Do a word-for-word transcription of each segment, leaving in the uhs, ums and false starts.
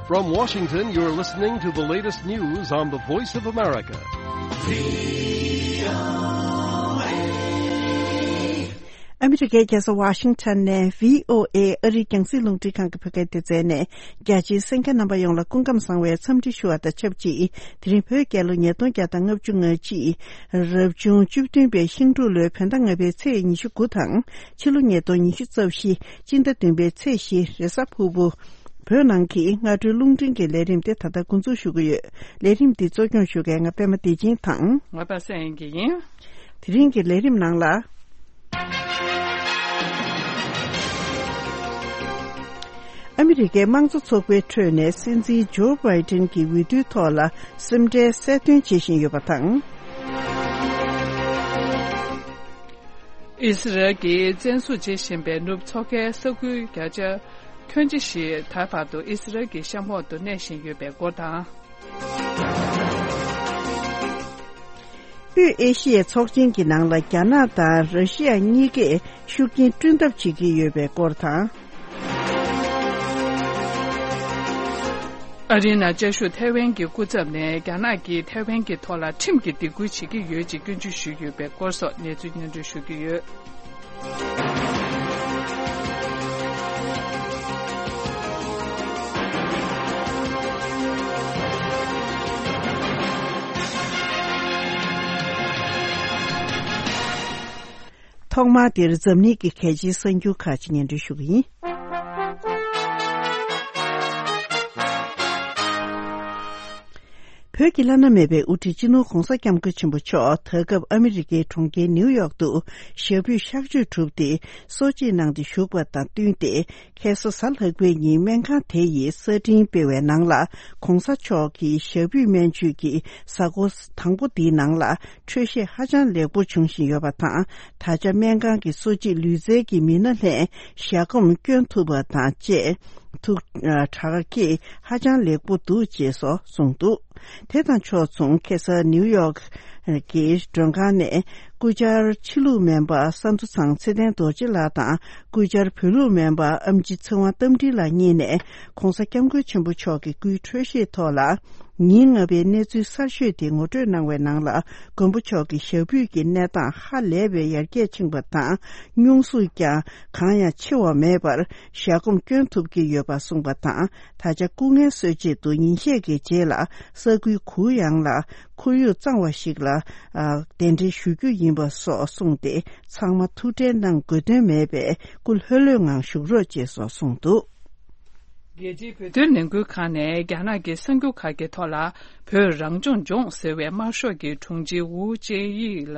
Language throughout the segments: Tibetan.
From Washington, you're listening to the latest news on the Voice of America. ཨ་མི་རི་ཀའི་རྒྱལ་ས་ཝ་ཤིང་ཊོན་ནས་བྷི་ཨོ་ཨེ་ཨ་རིའི་རྒྱང་སྲིང་རླུང་འཕྲིན་ཁང་གི་བོད་སྐད་སྡེ་ཚན་ནས། རྒྱ་ཆེའི་གསན་མཁན་རྣམ་པ་ཡོངས་ལ་སྐུ་ཁམས་བཟང་བའི་འཚམས་འདྲི་ཞུ་བ་དང་ཆབས་ཅིག་དེ་རིང་བོད་རྒྱལ་ལོ་ཉིས་སྟོང་བརྒྱ་དང་ལྔ་བཅུ་ང་གཅིག་རབ་བྱུང་བཅུ་བདུན་པའི་ཤིང་འབྲུག་ལོའི་བོད་ཟླ་ལྔ་པའི་ཚེས་ཉི་ཤུ་དགུ་དང་། ཕྱི་ལོ་ཉིས་སྟོང་ཉི་ཤུ་རྩ་བཞི་སྤྱི་ཟླ་བདུན་པའི་ཚེས་བཞི་རེས་གཟའ་ཕུར་བུ། བོད་ནང་གི་སྔ་དྲོའི་རླུང་འཕྲིན་གྱི་ལས་རིམ་དེ་ད་ལྟ་འགོ་འཛུགས་ཞུ་གི་ཡོད། ལས་རིམ་འདི་གཙོ་སྐྱོང་ཞུ་མཁན་ང་པད་མ་བདེ་ཆེན་དང་། ང་པ་སངས་དབྱངས་སྐྱིད་ཡིན། དེ་རིང་གི་ལས་རིམ་ནང་ལ། ཨ་མི་རི་ཀའི་དམངས་གཙོ་ཚོགས་པའི་ཁྲོད་ནས་སྲིད་འཛིན་ཇོ་བྷའི་ཏིན་གྱི་འོས་བསྡུའི་ཐོག་ལ་སེམས་ཁྲལ་གསལ་སྟོན་བྱེད་བཞིན་ཡོད་པ་དང་། ཨི་སི་རལ་གྱིས་བཙན་བཟུང་བྱེད་བཞིན་པའི་ནུབ་མཚོ་ཁའི་ས་ཁུལ་བརྒྱ་ཆ་ཁྱོན་ཆེ་ཞིག་ད་བར་དུ་ཨི་སི་རལ་གྱི་གཤམ་འོག་ཏུ་གནས་བཞིན་ཡོད་པའི་སྐོར་དང་། དབུས་ཨེ་ཤི་ཡའི་ཚོགས་ཆེན་གྱི་ནང་ལ་རྒྱ་ནག་དང་ར་ཤི་ཡ་གཉིས་ཀས་ཤུགས་རྐྱེན་བསྐྲུན་ཐབས་བྱེད་ཀྱི་ཡོད་པའི་སྐོར་དང་། ཨ་རིའི་ནང་བཅའ་བཞུགས་ཐའེ་ཝན་གྱི་སྐུ་ཚབ་ནས་རྒྱ་ནག་གིས་ཐའེ་ཝན་གྱི་ཐོག་ལ་ཁྲིམས་ཀྱི་སྡིགས་སྐུལ་བྱེད་ཀྱི་ཡོད་ཅེས་སྐྱོན་བརྗོད་ཞུས་ཡོད་པའི་སྐོར་སོགས་གནས་ཚུལ་སྙན་སྒྲོན་ཞུ་གི་ཡོད། ཐོག་མར་འདིར་འཛམ་གླིང་གི་གལ་ཆེའི་གསར་འགྱུར་ཁག་ཅིག་སྙན་སྒྲོན་ཞུ་གི་ཡིན། བོད་ཀྱི་བླ་ན་མེད་པའི་དབུ་ཁྲིད་སྤྱི་ནོར་༧གོང་ས་༧སྐྱབས་མགོན་ཆེན་པོ་མཆོག་ད་སྐབས་ཨ་མི་རི་ཀའི་གྲོང་ཁྱེར་ནིའུ་ཡོག་ཏུ་ཞབས་པུས་གཤགས་བཅོས་གྲུབ་སྟེ་གསོ་བྱེད་གནང་སྟེ་བཞུགས་པ་དང་བསྟུན་ཏེ། ཁ་སང་གཟའ་ལྷག་པའི་ཉིན་སྨན་ཁང་དེ་ཡིས་གསར་འཕྲིན་སྤེལ་བའི་ནང་ལ། ༧གོང་ས་མཆོག་གི་ཞབས་པུས་སྨན་བཅོས་ཀྱི་གཟའ་འཁོར་དང་པོ་འདིའི་ནང་ལ་འཕྲོད་བཞེས་ཧ་ཅང་ལེགས་པོ་བྱུང་བཞིན་ཡོད་པ་དང་། ད་ཆ་སྨན་ཁང་གི་གསོ་བྱེད་ལུས་རྩལ་གྱི་མི་སྣ་ལྷན་ཞལ་སྒོམ་སྐྱོན་ཐུབ་པ་དང་བཅས། ཐུགས་དྲག་སྐྱེད་ཧ་ཅང་ལེགས་པོ་འདུག་ཅེས་སོགས་གསུངས་འདུག་དེ་དང་ཕྱོགས་མཚུངས་ཁ་སང་ནིའུ་ཡོག་གི་མགྲོན་ཁང་ནས་སྐུ་བཅར་ཕྱི་ལུགས་སྨན་པ་ས་འདུ་ཚང་ཚེ་བརྟན་རྡོ་རྗེ་ལགས་དང་། སྐུ་བཅར་བོད་ལུགས་སྨན་པ་ཨེམ་ཆི་ཚེ་དབང་རྟ་མགྲིན་ལགས་གཉིས་ནས་༧གོང་ས་༧སྐྱབས་མགོན་ཆེན་པོ་མཆོག་གི་སྐུའི་འཕྲོད་བཞེས་ཐོག་ལ། ཉིན་ལྔ་པའི་གནས་ཚུལ་གསར་ཤོས་དེ་ངོ་སྤྲོད་གནང་བའི་ནང་ལ། མགོན་པོ་མཆོག་གི་ཞབས་པུས་ཀྱི་གནས་སྟངས་ཧ་ལས་པའི་ཡར་རྒྱས་ཕྱིན་པ་དང་། སྙུང་ཟུག་ཀྱང་གང་ཡང་ཆེ་བ་མེད་པར་ཞལ་སྒོམ་སྐྱོན་ཐུབ་ཀྱི་ཡོད་པ་གསུངས་པ་དང་། ད་ཆ་སྐུ་ངལ་གསོ་ཆེད་དུ་ཉིན་ཤས་ཀྱི་རྗེས་ལ་ས་ཁུལ་གུ་ཡངས་ལ་ཁོར་ཡུག་གཙང་བ་ཞིག་ལ་གདན་འདྲེན་ཞུ་རྒྱུ་ཡིན་པ་སོགས་གསུངས་ཏེ། ཚང་མ་ཐུགས་ཁྲལ་གནང་དགོས་དོན་མེད་པས་སྐུ་ལྷོད་ལྷོད་ངང་བཞུགས་རོགས་ཅེས་སོགས་གསུངས་འདུག་རྒྱལ་སྤྱིའི་བོད་དོན་ལས་འགུལ་ཁང་ནས་རྒྱ་ནག་གི་གསར་འགྱུར་ཁག་གི་ཐོག་ལ། བོད་རང་སྐྱོང་ལྗོངས་ཟེར་བའི་དམར་ཤོག་གི་དྲུང་ཆེ་ཝུའུ་ཅེ་ཡི་ལ་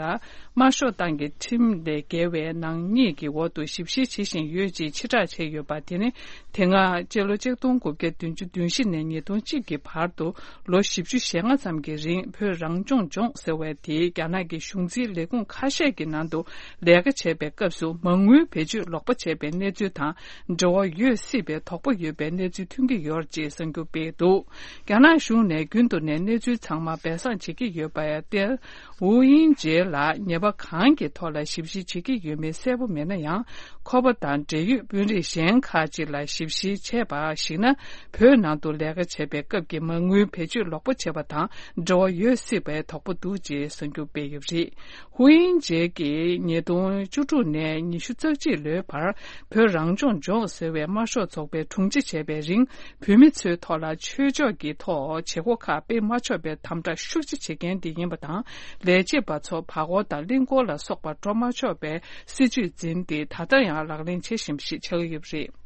དམར་ཤོག་ཏང་གི་ཁྲིམས་ལས་འགལ་བའི་ནག་ཉེས་ཀྱི་འོག་ཏུ་ཞིབ་བཤེར་བྱེད་བཞིན་ཡོད་ཅེས་ཕྱིར་བསྒྲགས་བྱས་ཡོད་པ་དེ་ནི། དེ་སྔ་སྤྱི་ལོ་ཆིག་སྟོང་དགུ་བརྒྱ་བདུན་ཅུ་དོན་བཞི་ནས་ཉིས་སྟོང་གཅིག་གི་བར་དུ་ལོ་བཞི་བཅུ་ཞེ་ལྔ་ཙམ་གྱི་རིང་བོད་རང་སྐྱོང་ལྗོངས་ཟེར་བ་དེ་རྒྱ་ནག་གི་གཞུང་འཛིན་ལས་ཁུངས་ཁ་ཤས་ཀྱི་ནང་དུ་ལས་ཀ་བྱས་པའི་སྐབས་སུ་མ་དངུལ་བེད་སྤྱོད་ལོག་པ་བྱས་པའི་གནས་ཚུལ་དང་འབྲེལ་བ་ཡོད་སྲིད་པའི་དོགས་པ་ཡོད་པའི་གནས་ཚུལ་ཐོན་གྱི་ཡོད་ཅེས་གསར་འགྱུར་སྤེལ་འདུག་རྒྱ་ནག་གཞུང་ནས་རྒྱུན་དུ་ནས་གནས་ཚུལ་ཚང་མ་སྦས་གསང་བྱེད་ཀྱི་ཡོད་པ་ཡང་སྟེ། ཝུའུ་དབྱིང་ཇེ་ལགས་ཉེས་པ་གང་གི་ཐོག་ལ་ཞིབ་བཤེར་བྱེད་ཀྱི་ཡོད་མེད་གསལ་པོ་མེད་ན་ཡང་། ཁོ་པ་དང་འབྲེལ་ཡོད་དཔོན་རིགས་གཞན་ཁག་ཅིག་ལ་ཞིབ་བཤེར་བྱས་པར་གཞིགས་ན། བོད་ནང་དུ་ལས་ཀ་བྱས་པའི་སྐབས་ཀྱི་མ་དངུལ་བེད་སྤྱོད་ལོག་པ་བྱས་པ་དང་འབྲེལ་བ་ཡོད་སྲིད་པའི་དོགས་པ་འདུག་ཅེས་གསར་འགྱུར་སྤེལ་ཡོད་པ་རེད། ཝུའུ་དབྱིང་ཇེ་གིས་ཉིས་སྟོང་བཅུ་དྲུག་ནས་ཉི་ཤུ་རྩ་གཅིག་ལོའི་བར་བོད་རང་སྐྱོང་ལྗོངས་ཟེར་བའི་དམར་ཤོག་ཚོགས་པའི་དྲུང་ཆེ་བྱས་པའི་རིང་། བོད་མི་ཚོའི་ཐོག་ལ་ཆོས་ཕྱོགས་ཀྱི་ཐོག་བྱེད་སྒོ་ཁག་སྤེལ་མ་ཆོག་པའི་དམ་དྲག་ཤུགས་ཆེ་བྱེད་མཁན་དེ་ཡིན་པ་དང་། ལས་བྱེད་པ་ཚོ་བར་སྐོར་དང་གླིང་སྐོར་ལ་སོགས་པར་འགྲོ་མ་ཆོག་པའི་སྲིད་ཇུས་འཛིན་ཏེ། ད་ལྟ་ཡང་ལག་ལེན་བྱེད་བཞིན་པ་ཞིག་ཆགས་ཀྱི་ཡོད་པ་རེད།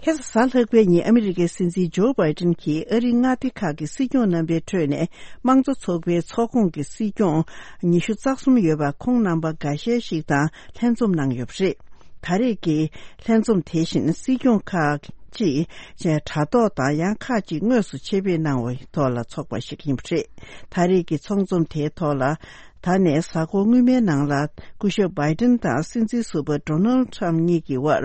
ཁ་སང་གཟའ་ལྷག་པའི་ཉིན་ཨ་མི་རི་ཀའི་སྲིད་འཛིན་ཇོ་བྷའི་ཏིན་གྱིས་ཨ་རིའི་མངའ་སྡེ་ཁག་གི་སྲིད་སྐྱོང་རྣམ་པའི་ཁྲོད་ནས་དམངས་གཙོ་ཚོགས་པའི་ཚོགས་ཁོངས་ཀྱི་སྲིད་སྐྱོང་ཉི་ཤུ་རྩ་གསུམ་ཡོད་པ་ཁོང་རྣམ་པ་འགའ་ཤས་ཤིག་དང་ལྷན་འཛོམས་གནང་ཡོད་པ་རེད། ད་རེས་ཀྱི་ལྷན་འཛོམས་དེ་བཞིན་སྲིད་སྐྱོང་ཁག་ཅིག་དྲ་ཐོག་དང་ཡང་ཁག་ཅིག་དངོས་སུ་ཆེད་ཕེབས་གནང་བའི་ཐོག་ལ་ཚོགས་པ་ཞིག་ཡིན་པ་རེད། ད་རེས་ཀྱི་ཚོགས་འཛོམས་དེའི་ཐོག་ལ། ད་ནས་གཟའ་འཁོར་སྔོན་མའི་ནང་ལ་སྐུ་ཞབས་བྷའི་ཏིན་དང་སྲིད་འཛིན་ཟུར་པ་ཌོ་ནལ་ཁྲམ་གཉིས་ཀྱི་དབར་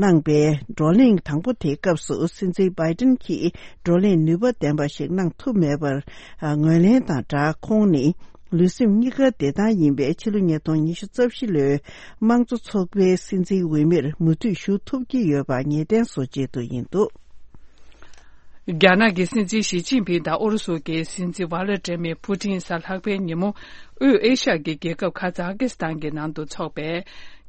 གནང་པའི་བགྲོ་གླེང་དང་པོ་དེའི་སྐབས་སུ་སྲིད་འཛིན་བྷའི་ཏིན་གྱིས་བགྲོ་གླེང་ནུས་པ་ལྡན་པ་ཞིག་གནང་ཐུབ་མེད་པར་ངོས་ལེན་དང་སྦྲགས། ཁོང་ནི་ལུས་སེམས་གཉིས་ཀ་བདེ་ཐང་ཡིན་པས་ཕྱི་ལོ་ཉིས་སྟོང་ཉི་ཤུ་རྩ་བཞི་ལོའི་དམངས་གཙོ་ཚོགས་པའི་སྲིད་འཛིན་འོས་མིར་མུ་མཐུད་ཞུགས་ཐུབ་ཀྱི་ཡོད་པ་ངེས་གཏན་བཟོ་ཆེད་དུ་ཡིན་འདུག་རྒྱ་ནག་གི་སྲིད་འཛིན་ཞི་ཅིན་ཕིང་དང་ཨུ་རུ་སུ་གི་སྲིད་འཛིན་ཝ་ལ་ཏྲེ་མེ་ཕུ་ཏིན་གཟའ་ལྷག་པའི་ཉིན་མོ་དབུས་ཨེ་ཤ་ཡ་གི་རྒྱལ་ཁབ་ཁ་ཛ་ཀི་སི་ཐན་གྱི་ནང་དུ་འཚོགས་པའི་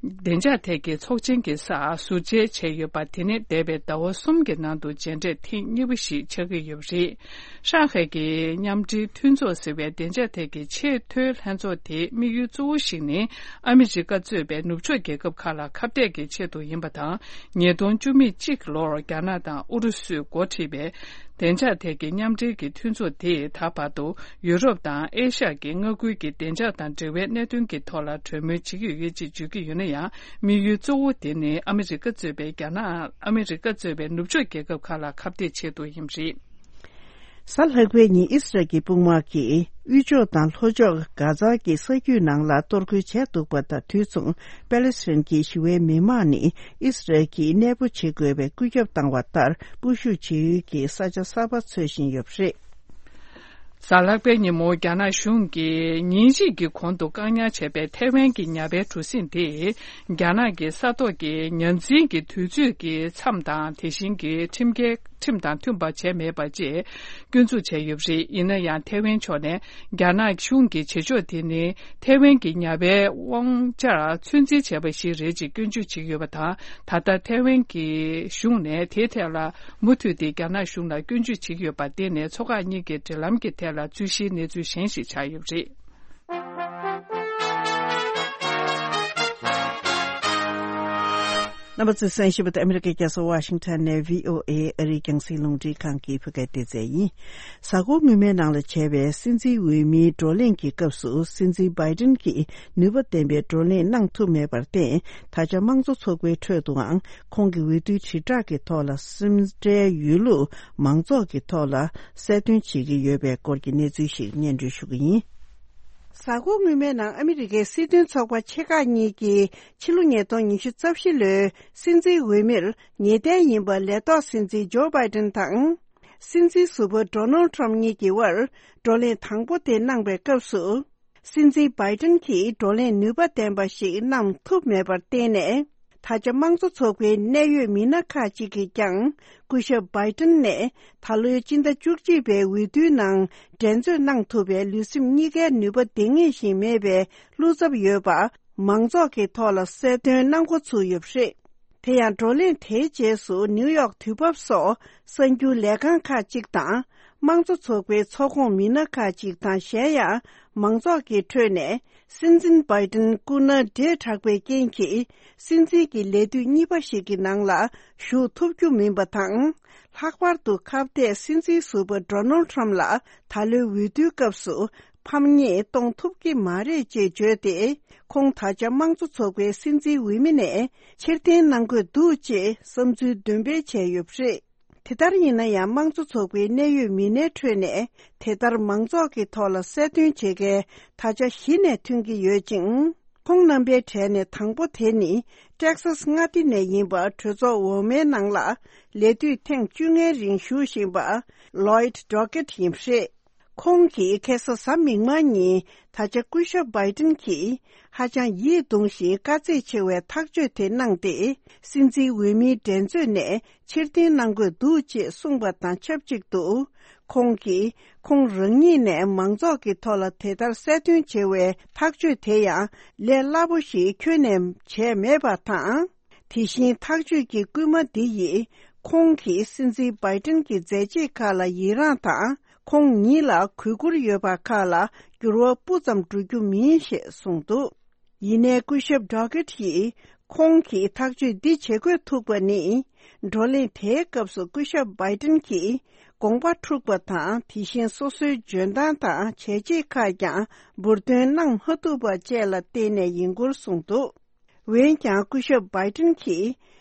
བདེ་འཇགས་ཐད་ཀྱི་ཚོགས་ཆེན་གྱི་སར་ཟུར་མཇལ་བྱས་ཡོད་པ། དེ་ནི་འདས་པའི་ཟླ་བ་གསུམ་གྱི་ནང་དུ་མཇལ་འཕྲད་ཐེངས་གཉིས་པ་ཞིག་ཆགས་ཀྱི་ཡོད་པ་རེད། ཧྲང་ཧའེ་གྱི་མཉམ་འབྲེལ་མཐུན་ཚོགས་ཟེར་བའི་བདེ་འཇགས་ཐད་ཀྱི་ཆེས་མཐོའི་ལྷན་ཚོགས་དེའི་དམིགས་ཡུལ་གཙོ་བོ་ཞིག་ནི། ཨ་མི་རི་ཀ་གཙོས་པའི་ནུབ་ཕྱོགས་རྒྱལ་ཁབ་ཁག་ལ་ཁ་གཏད་ཀྱི་ཆེད་དུ་ཡིན་པ་དང་། ཉིས་སྟོང་བཅུ་མེད་གཅིག་ལོར་རྒྱ་ནག་དང་ཨུ་རུ་སུས་འགོ་ཁྲིད་པའི་བདེ་འཇགས་ཐད་ཀྱི་མཉམ་འབྲེལ་གྱི་མཐུན་ཚོགས་དེས་ད་བར་དུ་ཡུ་རོབ་དང་ཨེ་ཤ་ཡ་གི་མངའ་ཁུལ་གྱི་བདེ་འཇགས་དང་འབྲེལ་བའི་གནད་དོན་གྱི་ཐོག་ལ་གྲོས་མོལ་བྱེད་ཀྱི་ཡོད་ཅེས་བརྗོད་ཀྱི་ཡོད་ན་ཡང་། དམིགས་ཡུལ་གཙོ་བོ་དེ་ནི་ཨ་མི་རི་ཀ་གཙོས་པའི་རྒྱ་ནག་ཨ་མི་རི་ཀ་གཙོས་པའི་ནུབ་ཕྱོགས་རྒྱལ་ཁབ་ཁག་ལ་ཁ་གཏད་ཆེད་དུ་ཡིན་པ་རེད། གཟའ་ལྷག་པའི་ཉིན་ཨི་སི་རལ་གྱི་དཔུང་དམག་གིས་དབུས་ཕྱོགས་དང་ལྷོ་ཕྱོགས་གྷ་ཛ་གི་ས་རྒྱུད་ནང་ལ་གཏོར་རྒོལ་བྱས་འདུག་པ་དང་། དུས་མཚུངས་པེ་ལེ་སི་ཐན་གྱི་ཞི་བའི་མི་མང་ནི་ཨི་སི་རལ་གྱིས་གནས་སྤོ་བྱེད་དགོས་པའི་བཀོད་ཁྱབ་བཏང་བ་ལྟར། སྤོ་བཞུད་བྱེད་ཡུལ་གྱི་ས་ཆ་གསར་པ་འཚོལ་བཞིན་ཡོད་པ་རེད། གཟའ་ལྷག་པའི་ཉིན་མོ་རྒྱ་ནག་གཞུང་གིས་ཉིན་གཅིག་གི་གོང་དུ་བཀག་ཉར་བྱས་པའི་ཐའེ་ཝན་གྱི་ཉ་པའི་གྲུ་གཟིངས་དེ། རྒྱ་ནག་གི་ས་ཐོག་གི་ཉ་འཛིན་གྱི་དུས་ཚོད་ཀྱི་མཚམས་དང་། དེ་བཞིན་གྱི་ཁྲིམས་འགལ། ཁྲིམས་དང་མཐུན་པ་བྱས་མེད་པ་བཅས་སྐྱོན་འཛུགས་བྱས་ཡོད་པ་རེད། ཡིན་ན་ཡང་། ཐའེ་ཝན་ཕྱོགས་ནས་རྒྱ་ནག་གཞུང་གི་བྱེད་ཕྱོགས་དེ་ནི་ཐའེ་ཝན་གྱི་ཉ་པའི་དབང་ཆར་ཚོད་འཛིན་བྱས་པ་ཞིག་རེད་ཅེས་སྐྱོན་བརྗོད་བྱེད་ཀྱི་ཡོད་པ་དང་། ད་ལྟ་ཐའེ་ཝན་གྱི་གཞུང་ནས་དེའི་ཐད་ལ་མུ་མཐུད་དེ་རྒྱ་ནག་གཞུང་ལ་སྐྱོན་བརྗོད་བྱེད་ཀྱི་ཡོད་པར་བརྟེན་ནས། མཚོ་འགག་གཉིས་ཀྱི་འབྲེལ་ལམ་གྱི་ཐད་ལ་རྩོད་གཞིའི་གནས་ཚུལ་གཞན་ཞིག་ཆགས་ཡོད་པ་རེད། རྣམ་པ་ཚོས་གསན་བཞིན་པ་དེ་ཨ་མི་རི་ཀའི་རྒྱལ་ས་ཝ་ཤིང་ཊོན་ནས་བྷི་ཨོ་ཨེ་ཨ་རིའི་རྒྱང་སྲིང་རླུང་འཕྲིན་ཁང་གི་བོད་སྐད་སྡེ་ཚན་ཡིན། གཟའ་འཁོར་སྔོན་མའི་ནང་ལ་བྱས་པའི་སྲིད་འཛིན་འོས་མིའི་བགྲོ་གླེང་གི་སྐབས་སུ། སྲིད་འཛིན་བྷའི་ཏིན་གྱིས་ནུས་པ་ལྡན་པའི་བགྲོ་གླེང་གནང་ཐུབ་མེད་པར་བརྟེན། ད་ཆ་དམངས་གཙོ་ཚོགས་པའི་ཁྲོད་དུའང་ཁོང་གི་འོས་བསྡུའི་དྲིལ་བསྒྲགས་ཀྱི་ཐོག་ལ་སེམས་ཁྲལ་ཡོད་ལུགས་མང་ཚོགས་ཀྱི་ཐོག་ལ་གསལ་སྟོན་བྱེད་ཀྱི་ཡོད་པའི་སྐོར་གྱི་གནས་ཚུལ་ཞིག་སྙན་སྒྲོན་ཞུ་གི་ཡིན། གཟའ་འཁོར་སྔོན་མའི་ནང་ཨ་མི་རི་ཀའི་སྲིད་དོན་ཚོགས་པ་ཆེ་ཁག་གཉིས་ཀྱིས་ཕྱི་ལོ་ཉིས་སྟོང་ཉི་ཤུ་རྩ་བཞི་ལོའི་སྲིད་འཛིན་འོས་མིར་ངེས་གཏན་ཡིན་པ་ལས་ཐོག་སྲིད་འཛིན་ཇོ་བྷའི་ཏིན་དང་། སྲིད་འཛིན་ཟུར་པ་ཌོ་ནལ་ཊམ་གཉིས་ཀྱི་དབར་བགྲོ་གླེང་དང་པོ་དེ་གནང་པའི་སྐབས་སུ། སྲིད་འཛིན་བྷའི་ཏིན་གྱིས་བགྲོ་གླེང་ནུས་པ་ལྡན་པ་ཞིག་གནང་ཐུབ་མེད་པར་བརྟེན་ནས། ད་ཆ་དམངས་གཙོ་ཚོགས་པའི་གནད་ཡོད་མི་སྣ་ཁག་ཅིག་གིས་ཀྱང་སྐུ་ཞབས་བྷའི་ཏིན་ནས་ད་ལོའི་སྤྱི་ཟླ་བཅུ་གཅིག་པའི་འོས་བསྡུའི་ནང་འགྲན་རྩོད་གནང་ཐུབ་པའི་ལུས་སེམས་གཉིས་ཀའི་ནུས་པ་ལྡེང་ངེས་ཤིག་མེད་པའི་བློ་འཚབ་ཡོད་པ་མང་ཚོགས་ཀྱི་ཐོག་ལ་གསལ་སྟོན་གནང་འགོ་ཚུགས་ཡོད་པ་རེད། དེ་ཡང་བགྲོ་གླེང་དེའི་རྗེས་སུ་ནིའུ་ཡོག་དུས་བབ་སོགས་གསར་འགྱུར་ལས་ཁང་ཁག་ཅིག་དང་། དམངས་གཙོ་ཚོགས་པའི་ཚོགས་ཁོངས་མི་སྣ་ཁག་ཅིག་དང་། གཞན་ཡང་མང་ཚོགས་ཀྱི་ཁྲོད་ནས། སྲིད་འཛིན་བྷའི་ཏིན་སྐུ་ན་བགྲེས་དྲགས་པའི་རྐྱེན་གྱིས། སྲིད་འཛིན་གྱི་ལས་དུས་གཉིས་པ་ཞིག་གི་ནང་ལ་ཞུགས་ཐུབ་རྒྱུ་མིན་པ་དང་། ལྷག་པར་དུ་ཁ་གཏད་སྲིད་འཛིན་ཟུར་པ་ཌོ་ནལ་ཊམ་ལ་ད་ལོའི་འོས་བསྡུའི་སྐབས་སུ་ཕམ་ཉེས་གཏོང་ཐུབ་ཀྱི་མ་རེད་ཅེས་བརྗོད་དེ། ཁོང་ད་ཆ་དམངས་གཙོ་ཚོགས་པའི་སྲིད་འཛིན་འོས་མི་ནས་ཕྱིར་འཐེན་གནང་དགོས་འདུག་ཅེས་བསམ་ཚུལ་འདོན་སྤེལ་བྱས་ཡོད་པ་རེད། དེ་ལྟར་ཡིན་ན་ཡང་། དམངས་གཙོ་ཚོགས་པའི་གནད་ཡོད་མི་སྣའི་ཁྲོད་ནས་དེ་ལྟར་མང་ཚོགས་ཀྱི་ཐོག་ལ་གསལ་སྟོན་བྱེད་མཁན་ད་ཆ་བཞི་ནས་ཐོན་གྱི་ཡོད་ཅིང་། ཁོང་རྣམ་པའི་གྲས་ནས་དང་པོ་དེ་ནི་ཊེག་སཱས་མངའ་སྡེ་ནས་ཡིན་པ། གྲོས་ཚོགས་འོག་མའི་ནང་ལ་ལས་དུས་ཐེངས་བཅོ་ལྔའི་རིང་བཞུགས་བཞིན་པ། ལོའིད་ཌོ་ཀེད་ཡིན་པ་རེད། ཁོང་གིས་ཁ་སང་གཟའ་མིག་དམར་ཉིན་ད་ཆ་སྐུ་ཞབས་བྷའི་ཏིན་གྱིས་ཧ་ཅང་ཡིད་གདུང་ཞིང་དཀའ་ཚེགས་ཆེ་བའི་ཐག་གཅོད་དེ་གནང་སྟེ། སྲིད་འཛིན་འོས་མིའི་འགྲན་རྩོད་ནས་ཕྱིར་འཐེན་གནང་དགོས་འདུག་ཅེས་གསུངས་པ་དང་ཆབས་ཅིག་ཏུ། ཁོང་གིས་ཁོང་རང་ཉིད་ནས་མང་ཚོགས་ཀྱི་ཐོག་ལ་དེ་ལྟར་གསལ་སྟོན་བྱེད་པའི་ཐག་གཅོད་དེ་ཡང་ལས་སླ་པོ་ཞིག་ཁྱོན་ནས་བྱས་མེད་པ་དང་། དེ་བཞིན་ཐག་གཅོད་ཀྱི་སྐུལ་མ་འདི་ཡིས་ཁོང་གིས་སྲིད་འཛིན་བྷའི་ཏིན་གྱི་མཛད་རྗེས་ཁག་ལ་ཡི་རངས་དང་། ཁོང་ཉིད་ལ་གུས་བཀུར་ཡོད་པ་ཁག་ལ་འགྱུར་བ་སྤུ་ཙམ་འགྲོ་རྒྱུ་མིན་ཞེས་གསུངས་འདུག་ཡིན་ནའི་སྐུ་ཞབས་ཌོ་ཀེད་ཡིས་ཁོང་གིས་ཐག་གཅོད་འདི་བྱེད་དགོས་ཐུག་པ་ནི། བགྲོ་གླེང་དེའི་སྐབས་སུ་སྐུ་ཞབས་བྷའི་ཏིན་གྱིས་དགོངས་པ་འཁྲུགས་པ་དང་། དེ་བཞིན་སོ་སོའི་འཇོན་ཐང་དང་བྱས་རྗེས་ཁག་ཀྱང་འབུར་འདོན་གནང་མ་ཐུབ་པ་བཅས་ལ་བརྟེན་ནས་ཡིན་སྐོར་གསུངས་འདུག་འོན་ཀྱང་སྐུ་ཞབས་བྷའི་ཏིན་གྱིས།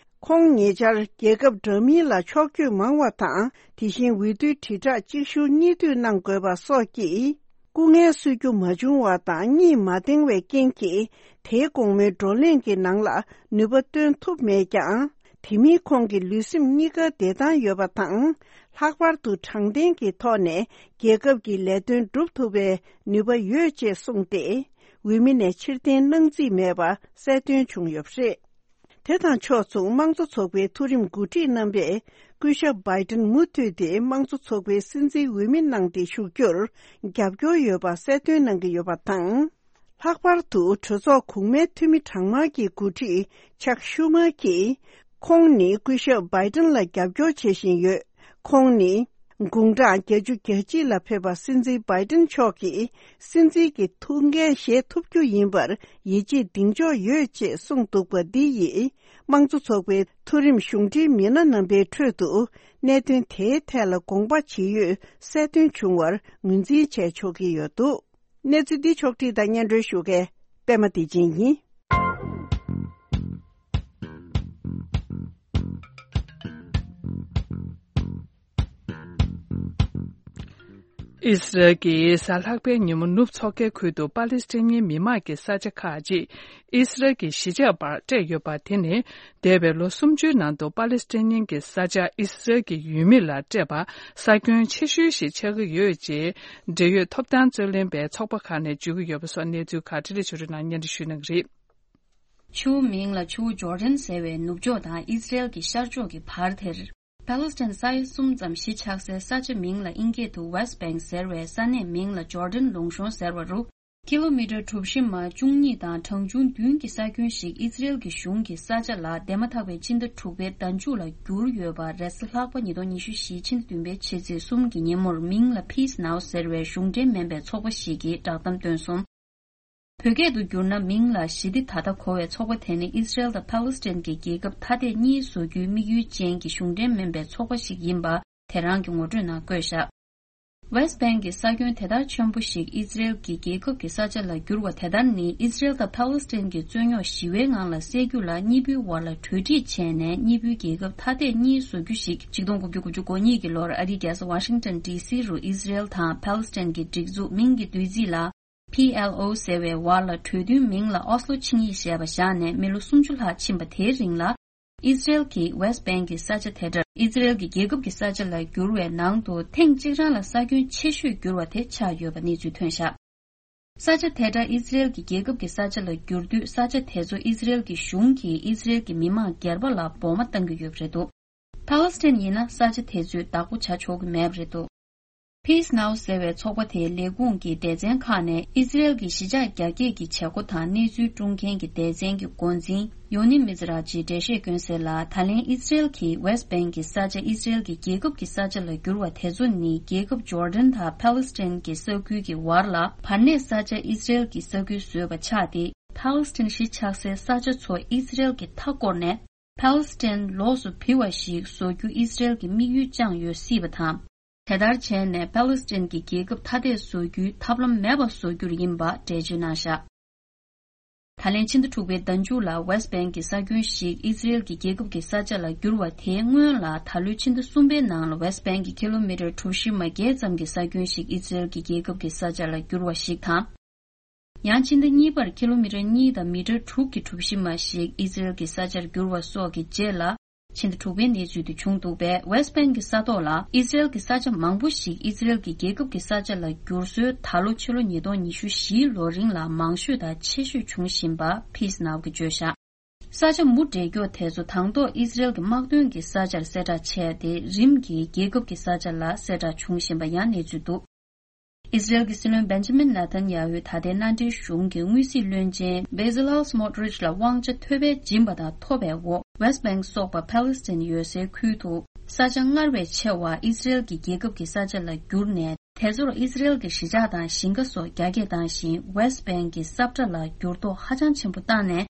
ཁོང་ཉེ་ཆར་རྒྱལ་ཁབ་འདྲ་མིན་ལ་ཕྱོགས་བསྐྱོད་མང་བ་དང་། དེ་བཞིན་འོས་བསྡུའི་དྲིལ་བསྒྲགས་གཅིག་མཇུག་གཉིས་མཐུད་གནང་དགོས་པ་སོགས་ཀྱིས། སྐུ་ངལ་གསོ་རྒྱུ་མ་བྱུང་བ་དང་གཉིད་མ་འདང་བའི་རྐྱེན་གྱིས། དེའི་དགོང་མོའི་བགྲོ་གླེང་གི་ནང་ལ་ནུས་པ་བཏོན་ཐུབ་མེད་ཀྱང་། དེ་མིན་ཁོང་གི་ལུས་སེམས་གཉིས་ཀ་བདེ་ཐང་ཡོད་པ་དང་། ལྷག་པར་དུ་དྲང་བདེན་གྱི་ཐོག་ནས་རྒྱལ་ཁབ་ཀྱི་ལས་དོན་སྒྲུབ་ཐུབ་པའི་ནུས་པ་ཡོད་ཅེས་གསུངས་ཏེ། འོས་མི་ནས་ཕྱིར་འཐེན་གནང་རྩིས་མེད་པ་གསལ་སྟོན་བྱུང་ཡོད་པ་རེད། དེ་དང་ཕྱོགས་མཚུངས་དམངས་གཙོ་ཚོགས་པའི་མཐོ་རིམ་འགོ་ཁྲིད་རྣམ་པས་སྐུ་ཞབས་བྷའི་ཏིན་མུ་མཐུད་དེ་དམངས་གཙོ་ཚོགས་པའི་སྲིད་འཛིན་འོས་མི་གནང་སྟེ་བཞུགས་རྒྱུར་རྒྱབ་སྐྱོར་ཡོད་པ་གསལ་སྟོན་གནང་གི་ཡོད་པ་དང་། ལྷག་པར་དུ་གྲོས་ཚོགས་གོང་མའི་འཐུས་མི་གྲངས་མང་གི་འགོ་ཁྲིད་ཆག་ཤུ་མར་གྱིས། ཁོང་ནི་སྐུ་ཞབས་བྷའི་ཏིན་ལ་རྒྱབ་སྐྱོར་བྱེད་བཞིན་ཡོད། ཁོང་ནི་དགུང་གྲངས་བརྒྱད་ཅུ་གྱ་གཅིག་ལ་ཕེབས་པ་སྲིད་འཛིན་བྷའི་ཏིན་མཆོག་གིས་སྲིད་འཛིན་གྱི་ཐུགས་འགན་བཞེས་ཐུབ་རྒྱུ་ཡིན་པར་ཡིད་ཆེས་གདེང་འཇོག་ཡོད་ཅེས་གསུངས་འདུག་པ་འདི་ཡིས་དམངས་གཙོ་ཚོགས་པའི་མཐོ་རིམ་གཞུང་འབྲེལ་མི་སྣ་རྣམ་པའི་ཁྲོད་དུ་གནད་དོན་དེའི་ཐད་ལ་དགོངས་པ་ཇི་ཡོད་གསལ་སྟོན་བྱུང་བར་ངོས་འཛིན་བྱས་ཆོག་གི་ཡོད་འདུག། གནས་ཚུལ་འདི་ཕྱོགས་སྒྲིག་དང་སྙན་སྒྲོན་ཞུ་མཁན་པད་མ་བདེ་ཆེན་ཡིན། ཨིས་རལ་གྱིས་གཟའ་ལྷག་པའི་ཉིན་མོ་ནུབ་མཚོ་ཁའི་ཁུལ་དུ་པ་ལི་སི་ཐན་མི་མང་གི་ས་ཆ་ཁག་ཅིག་ཨིས་རལ་གྱི་གཞིས་ཆགས་པར་སྤྲད་ཡོད་པ་དེ་ནི། འདས་པའི་ལོ་སུམ་ཅུའི་ནང་དུ་པ་ལི་སི་ཐན་གྱི་ས་ཆ་ཨིས་རལ་གྱི་ཡུལ་མི་ལ་སྤྲད་པ་ས་ཁྱོན་ཆེ་ཤོས་ཤིག་ཆགས་ཀྱི་ཡོད་ཅེས། འབྲེལ་ཡོད་ཐོབ་ཐང་རྩོད་ལེན་པའི་ཚོགས་པ་ཁག་ནས་བརྗོད་ཀྱི་ཡོད་པ་སོགས་གནས་ཚུལ་ཁག་འཕྲིན་ལས་ཆོས་སྒྲོན་ནང་སྙན་སྒྲོན་ཞུ་གནང་གི་རེད། ཆུ་བོ་མིང་ལ་ཆུ་བོ་ཇོར་ཌན་ཟེར་བའི་ནུབ་ཕྱོགས་དང་ཨིས་རལ་གྱི་ཤར་ཕྱོགས་ཀྱི་བར་དེར། པ་ལི་སི་ཐན་ས་ཡ་གསུམ་ཙམ་གཞིས་ཆགས་སའི་ས་ཆ་མིང་ལ་དབྱིན་སྐད་དུ་West Bank་ཟེར་བའི་ས་གནས་མིང་ལ་ཇོར་ཌན་ལུང་གཤོང་ཟེར་བ་རུ། ཀི་ལོ་མི་ཊར་གྲུ་བཞི་མ་བཅུ་གཉིས་དང་གྲངས་ཆུང་བདུན་གྱི་ས་ཁྱོན་ཞིག་ཨིས་རལ་གྱི་གཞུང་གི་ས་ཆ་ལ་འདས་མ་ཐག་པའི་ཕྱི་ཟླ་དྲུག་པའི་ཟླ་མཇུག་ལ་བསྒྱུར་ཡོད་པ་རེས་གཟའ་ལྷག་པ་ཉིས་སྟོང་ཉི་ཤུ་བཞི་ཕྱི་ཟླ་བདུན་པའི་ཕྱི་ཚེས་གསུམ་གྱི་ཉིན་མོར་མིང་ལ་Peace Now་ཟེར་བའི་གཞུང་འབྲེལ་མིན་པའི་ཚོགས་པ་ཞིག་གིས་བསྒྲགས་གཏམ་བཏོན་སོང་། བོད་སྐད་དུ་བསྒྱུར་ན། མིང་ལ་ཞི་བདེ་ད་ལྟ་གོ་བའི་ཚོགས་པ་དེ་ནི་ཨིས་རལ་དང་ཕཱ་ལེ་སི་ཐན་གྱི་རྒྱལ་ཁབ་ཐ་དད་གཉིས་བཟོ་རྒྱུའི་དམིགས་ཡུལ་ཅན་གྱི་གཞུང་འབྲེལ་མིན་པའི་ཚོགས་པ་ཞིག་ཡིན་པ་དེ་རང་གི་ངོ་སྤྲོད་ནང་བཀོད་བཞག། West Bank་གི་ས་ཁྱོན་དེ་ལྟར་ཆེན་པོ་ཞིག་ཨིས་རལ་གྱི་རྒྱལ་ཁབ་ཀྱི་ས་ཆ་ལ་བསྒྱུར་བ་དེ་ལྟར་ནི། ཨིས་རལ་དང་ཕཱ་ལེ་སི་ཐན་གྱི་རྩོད་རྙོག་ཞི་བའི་ངང་ལ་སེལ་རྒྱུ་ལ་གཉིས་པོའི་བར་ལ་གྲོས་འགྲིག་བྱས་ནས། གཉིས་པོའི་རྒྱལ་ཁབ་ཐ་དད་གཉིས་བཟོ་རྒྱུ་ཞིག་ཆིག་སྟོང་དགུ་བརྒྱ་དགུ་བཅུ་གོ་གཉིས་ཀྱི་ལོར་ཨ་རིའི་རྒྱལ་ས་ཝ་ཤིང་ཊོན་ཌི་སི་རུ་ཨིས་རལ་དང་ཕཱ་ལེ་སི་ཐན་གྱི་སྒྲིག་འཛུགས་མིང་གི་བསྡུས་ཚིག་ལ། པི་ཨེལ་ཨོ་ཟེར་བའི་བར་ལ་གྲོས་མཐུན་མིང་ལ་ཨོ་སི་ལོ་ཆིངས་ཡིག་ཞེས་པ་བཞག་ནས་མི་ལོ་སུམ་ཅུ་ལྷག་ཕྱིན་པ་དེའི་རིང་ལ། ཨིས་རལ་གྱིས་West Bank་གི་ས་ཆ་དེ་འདྲ་ཨིས་རལ་གྱི་རྒྱལ་ཁབ་ཀྱི་ས་ཆ་ལ་བསྒྱུར་བའི་ནང་དུ་ཐེངས་གཅིག་རང་ལ་ས་ཁྱོན་ཆེ་ཤོས་བསྒྱུར་བ་དེ་ཆགས་ཡོད་པ་གནས་ཚུལ་ཐོན་བཞག། ས་ཆ་དེ་འདྲ་ཨིས་རལ་གྱི་རྒྱལ་ཁབ་ཀྱི་ས་ཆ་ལ་བསྒྱུར་དུས། ས་ཆ་དེ་ཚོ་ཨིས་རལ་གྱི་གཞུང་གིས་ཨིས་རལ་གྱི་མི་མང་སྒེར་པ་ལ་བོགས་མ་བཏང་གི་ཡོད་པ་རེད་འདུག། ཕཱ་ལེ་སི་ཐན་ཡིན་ན་ས་ཆ་དེ་ཚོའི་བདག་པོ་བྱ་ཆོག་གི་མེད་པ་རེད་འདུག། Peace Now་ཟེར་བའི་ཚོགས་པ་དེའི་ལས་ཁུངས་ཀྱི་སྡེ་ཚན་ཁག་ནས་ཨིས་རལ་གྱི་གཞིས་ཆགས་རྒྱ་སྐྱེད་ཀྱི་བྱེད་སྒོ་དང་གནས་ཚུལ་སྲུང་མཁན་གྱི་སྡེ་ཚན་གྱི་འགོ་འཛིན་ཡོ་ནི་མི་ཛི་ར་ཇིས་འགྲེལ་བཤད་བསྐྱོན་གསལ་ལ། ད་ལན་ཨིས་རལ་གྱིས་West Bank་གྱི་ས་ཆ་ཨིས་རལ་གྱི་རྒྱལ་ཁབ་ཀྱི་ས་ཆ་ལ་བསྒྱུར་བ་དེ་ཚོ་ནི། རྒྱལ་ཁབ་ཇོར་ཌན་དང་ཕཱ་ལེ་སི་ཐན་གྱི་ས་ཁུལ་གྱི་བར་ལ་བར་གནས་ས་ཆ་ཨིས་རལ་གྱི་ས་ཁུལ་བཟོས་པ་ཆགས་ཏེ། ཕཱ་ལེ་སི་ཐན་གཞིས་ཆགས་སའི་ས་ཆ་ཚོ་ཨིས་རལ་གྱིས་མཐའ་བསྐོར་ནས། ཕཱ་ལེ་སི་ཐན་ལོགས་སུ་བུད་པ་ཞིག་བཟོ་རྒྱུ་ཨིས་རལ་གྱི་དམིགས་ཡུལ་བཅངས་ཡོད་སྲིད་པ་དང་། དེ་ལྟར་བྱས་ནས་ཕཱ་ལེ་སི་ཐན་གྱི་རྒྱལ་ཁབ་ཐ་དད་བཟོ་རྒྱུའི་ཐབས་ལམ་མེད་པ་བཟོ་རྒྱུར་ཡིན་པ་འགྲེལ་བརྗོད་གནང་བཞག། ད་ལན་ཕྱི་ཟླ་དྲུག་པའི་ཟླ་མཇུག་ལ་West Bank་གི་ས་ཁྱོན་ཞིག་ཨིས་རལ་གྱི་རྒྱལ་ཁབ་ཀྱི་ས་ཆ་ལ་བསྒྱུར་བ་དེའི་སྔོན་ལ། ད་ལོའི་ཕྱི་ཟླ་གསུམ་པའི་ནང་ལ་West Bank་གི་ཀི་ལོ་མི་ཊར་གྲུ་བཞི་མ་བརྒྱད་ཙམ་གྱི་ས་ཁྱོན་ཞིག་ཨིས་རལ་གྱི་རྒྱལ་ཁབ་ཀྱི་ས་ཆ་ལ་བསྒྱུར་བ་ཞིག་དང་། ཡང་ཕྱི་ཟླ་གཉིས་པར་ཀི་ལོ་མི་ཊར་གཉིས་དང་མི་ཊར་དྲུག་གི་གྲུ་བཞི་མ་ཞིག་ཨིས་རལ་གྱི་ས་ཆར་བསྒྱུར་བ་སོགས་ཀྱི་རྗེས་ལ། ཕྱི་ཟླ་དྲུག་པའི་གནས་ཚུལ་དུ་བྱུང་འདུག་པས། West Bank་གི་ས་ཐོག་ལ་ཨིས་རལ་གྱི་ས་ཆ་མང་པོ་ཞིག་ཨིས་རལ་གྱི་རྒྱལ་ཁབ་ཀྱི་ས་ཆ་ལ་བསྒྱུར་སྲོལ་ད་ལོ་ཕྱི་ལོ་ཉིས་སྟོང་ཉི་ཤུ་བཞིའི་ལོ་རིང་ལ་མང་ཤོས་དང་ཆེ་ཤོས་བྱུང་བཞིན་པ་Peace Now་གིས་བརྗོད་བཞག། ས་ཆ་མུ་འབྲེལ་འཁྱོག་དེ་ཚོ་དང་ཐོག་ཨིས་རལ་གྱི་དམག་དོན་གྱི་ས་ཆར་གསལ་བསྒྲགས་བྱས་ཏེ། རིམ་གྱིས་རྒྱལ་ཁབ་ཀྱི་ས་ཆ་ལ་གསལ་བསྒྲགས་བྱུང་བཞིན་པ་ཡང་གནས་ཚུལ་འདུག། ཨིས་རལ་གྱི་སྲིད་བློན་Benjamin Netanyahu་ད་ལྟའི་མནའ་འབྲེལ་གཞུང་གི་དངུལ་སྲིད་བློན་ཆེན་Bezalel Smotrich་ལ་དབང་ཆ་ཐོབ་པའི་སྦྱིན་པ་དང་ཐོབ་པའི་འོག་West Bank་སོགས་པ་ཕཱ་ལེ་སི་ཐན་ཡོད་སའི་ཁུལ་དུ་ས་ཆ་སྔར་བས་ཆེ་བ་ཨིས་རལ་གྱི་རྒྱལ་ཁབ་ཀྱི་ས་ཆ་ལ་བསྒྱུར་ནས། དེ་ཚོར་ཨིས་རལ་གྱི་གཞིས་ཆགས་དང་ཞིང་ཁ་སོགས་རྒྱ་སྐྱེད་བཏང་ཞིང་། West Bank་གྱི་ས་ཁྲ་ལ་འགྱུར་ལྡོག་ཧ་ཅང་ཆེན་པོ་བཏང་ནས།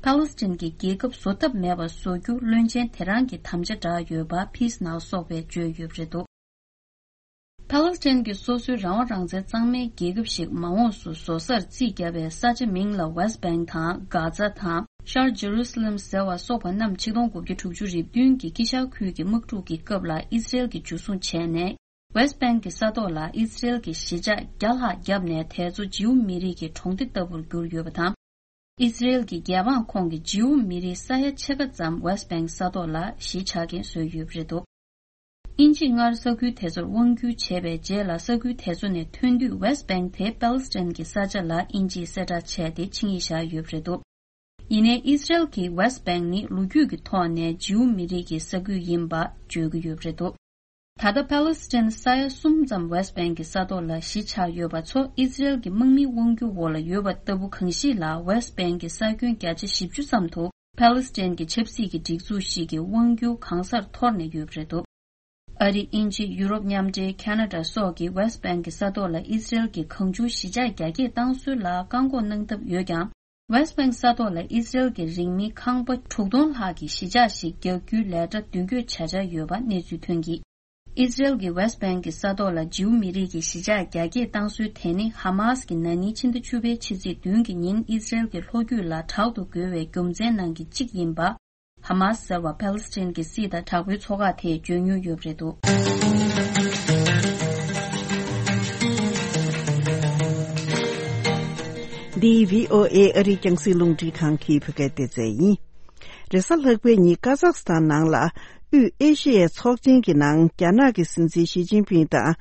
ཕཱ་ལེ་སི་ཐན་གྱི་རྒྱལ་ཁབ་བཟོ་ཐབས་མེད་པ་བཟོ་རྒྱུ་བློན་ཆེན་དེ་རང་གིས་དམ་བཅའ་བསྒྲགས་ཡོད་པ་Peace Now་སོགས་པས་བརྗོད་ཡོད་པ་རེད་འདུག། ཕཱ་ལེ་སི་ཐན་གྱི་སོ་སོའི་རང་དབང་རང་བཙན་གཙང་མའི་རྒྱལ་ཁབ་ཞིག་མ་འོངས་སུ་བཟོ་སར་རྩིས་བརྒྱབ་པའི་ས་ཆ་མིང་ལ་West Bank་དང་། Gaza་དང་། Shar Jerusalem་ཟེར་བ་སོགས་པ་རྣམས་ཆིག་སྟོང་དགུ་བརྒྱ་དྲུག་ཅུ་རེ་བདུན་གྱི་དཀྱིལ་ཤར་ཁུལ་གྱི་དམག་འཁྲུག་གི་སྐབས་ལ་ཨིས་རལ་གྱིས་འཇུ་བཟུང་བྱས་ནས། West Bank་གི་ས་ཐོག་ལ་ཨིས་རལ་གྱི་གཞིས་ཆགས་བརྒྱ་ལྷག་བརྒྱབ་ནས། དེ་ཚོ་ཇིའུ་མི་རིགས་ཀྱི་གྲོང་སྡེ་ལྟ་བུར་གྱུར་ཡོད་པ་དང་། ཨིས་རལ་གྱི་རྒྱལ་འབངས་ཁོངས་ཀྱི་ཇིའུ་མི་རིགས་ས་ཡ་ཕྱེད་ཀ་ཙམ་West Bank་ས་ཐོག་ལ་གཞིས་ཆགས་མཁན་བཟོས་ཡོད་པ་རེད་འདུག། དབྱིན་ཇིས་སྔར་ས་ཁུལ་དེ་ཚོར་དབང་བསྒྱུར་བྱས་པའི་རྗེས་ལ། ས་ཁུལ་དེ་ཚོ་ནས་ཐོན་དུས་West Bank་དེ་Palestine་གྱི་ས་ཆ་ལ་དབྱིན་ཇིས་གསལ་བསྒྲགས་བྱས་ཏེ་ཆིངས་ཡིག་བཞག་ཡོད་པ་རེད་འདུག། ཡིན་ནའི་ཨི་སི་རེལ་གྱིས་West Bank་ནི་ལོ་རྒྱུས་ཀྱི་ཐོག་ནས་ཇིའུ་མི་རིགས་ཀྱི་ས་ཁུལ་ཡིན་པ་བརྗོད་ཀྱི་ཡོད་པ་རེད་འདུག་ད་ལྟ་Palestine་ས་ཡ་གསུམ་ཙམ་West Bank་གི་ས་ཐོག་ལ་གཞིས་ཆགས་ཡོད་པ་ཚོ་ཨི་སི་རེལ་གྱི་དམག་མིའི་དབང་སྒྱུར་འོག་ལ་ཡོད་པ་ལྟ་བུ་གང་ཞིག་ལ། West Bank་གི་ས་ཁྱོན་བརྒྱ་ཆ་བཞི་བཅུ་ཙམ་དུ་Palestine་གྱི་ཆབ་སྲིད་ཀྱི་སྒྲིག་འཛུགས་ཤིག་གི་དབང་སྒྱུར་གང་སར་འཐོར་ནས་ཡོད་པ་རེད་འདུག་ཨ་རི། དབྱིན་ཇི། ཡུ་རོབ་མཉམ་འབྲེལ། ཁེ་ན་ཌ་སོགས་ཀྱིས་West Bank་གི་ས་ཐོག་ལ་ཨི་སི་རེལ་གྱིས་གང་བྱུང་གཞིས་ཆགས་རྒྱ་སྐྱེད་བཏང་སྲོལ་ལ་བཀག་འགོག་གནང་ཐབས་ཡོད་ཀྱང་། West Bank་ས་ཐོག་ལ་ཨི་སི་རེལ་གྱི་རིང་མིན་ཁང་པ་དྲུག་སྟོང་ལྷག་གི་གཞིས་ཆགས་ཤིག་རྒྱག་རྒྱུའི་ལས་གྲྭ་མདུན་སྐྱོད་བྱ་འཆར་ཡོད་པ་གནས་ཚུལ་ཐོན་གྱིས། ཨི་སི་རེལ་གྱིས་West Bank་གི་ས་ཐོག་ལ་ཇིའུ་མི་རིགས་ཀྱི་གཞིས་ཆགས་རྒྱ་སྐྱེད་བཏང་སྲོལ་དེ་ནི་ཧ་མཱས་ཀྱིས་ན་ནིང་ཕྱི་ཟླ་བཅུ་པའི་ཕྱི་ཚེས་བདུན་གྱི་ཉིན་ཨི་སི་རེལ་གྱི་ལྷོ་རྒྱུད་ལ་དྲག་ཏུ་རྒོལ་བའི་རྒྱུ་མཚན་ནང་གི་གཅིག་ཡིན་པ། ཧ་མཱས་ཟེར་བ་ཕཱ་ལེ་སི་ཐན་གྱི་སྲིད་དང་དྲག་པོའི་ཚོགས་ཁག་དེས་བརྗོད་མྱོང་ཡོད་པ་རེད་འདུག་འདི་བྷི་ཨོ་ཨེ་ཨ་རིའི་རྒྱང་སྲིང་རླུང་འཕྲིན་ཁང་གི་བོད་སྐད་སྡེ་ཚན་ཡིན། རེས་གཟའ་ལྷག་པའི་ཉིན་ཀ་ཛག་སི་ཐན་ནང་ལ་དབུས་ཨེ་ཤི་ཡའི་ཚོགས་ཆེན་གྱི་ནང་རྒྱ་ནག་གི་སྲིད་འཛིན་ཞི་ཅིན་ཕིང་དང་།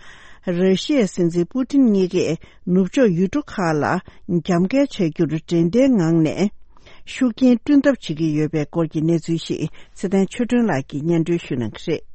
ར་ཤི་ཡའི་སྲིད་འཛིན་པུ་ཏིན་གཉིས་ཀས་ནུབ་ཕྱོགས་ཡུལ་གྲུ་ཁག་ལ་རྒྱབ་འགལ་བྱ་རྒྱུར་འབྲེལ་ལྡན་ངང་ནས་ཤུགས་རྐྱེན་བསྐྲུན་ཐབས་བྱེད་ཀྱི་ཡོད་པའི་སྐོར་གྱི་གནས་ཚུལ་ཞིག་ཚེ་བརྟན་ཆོས་སྒྲོན་ལགས་ཀྱིས་སྙན་སྒྲོན་ཞུ་གནང་གི་རེད།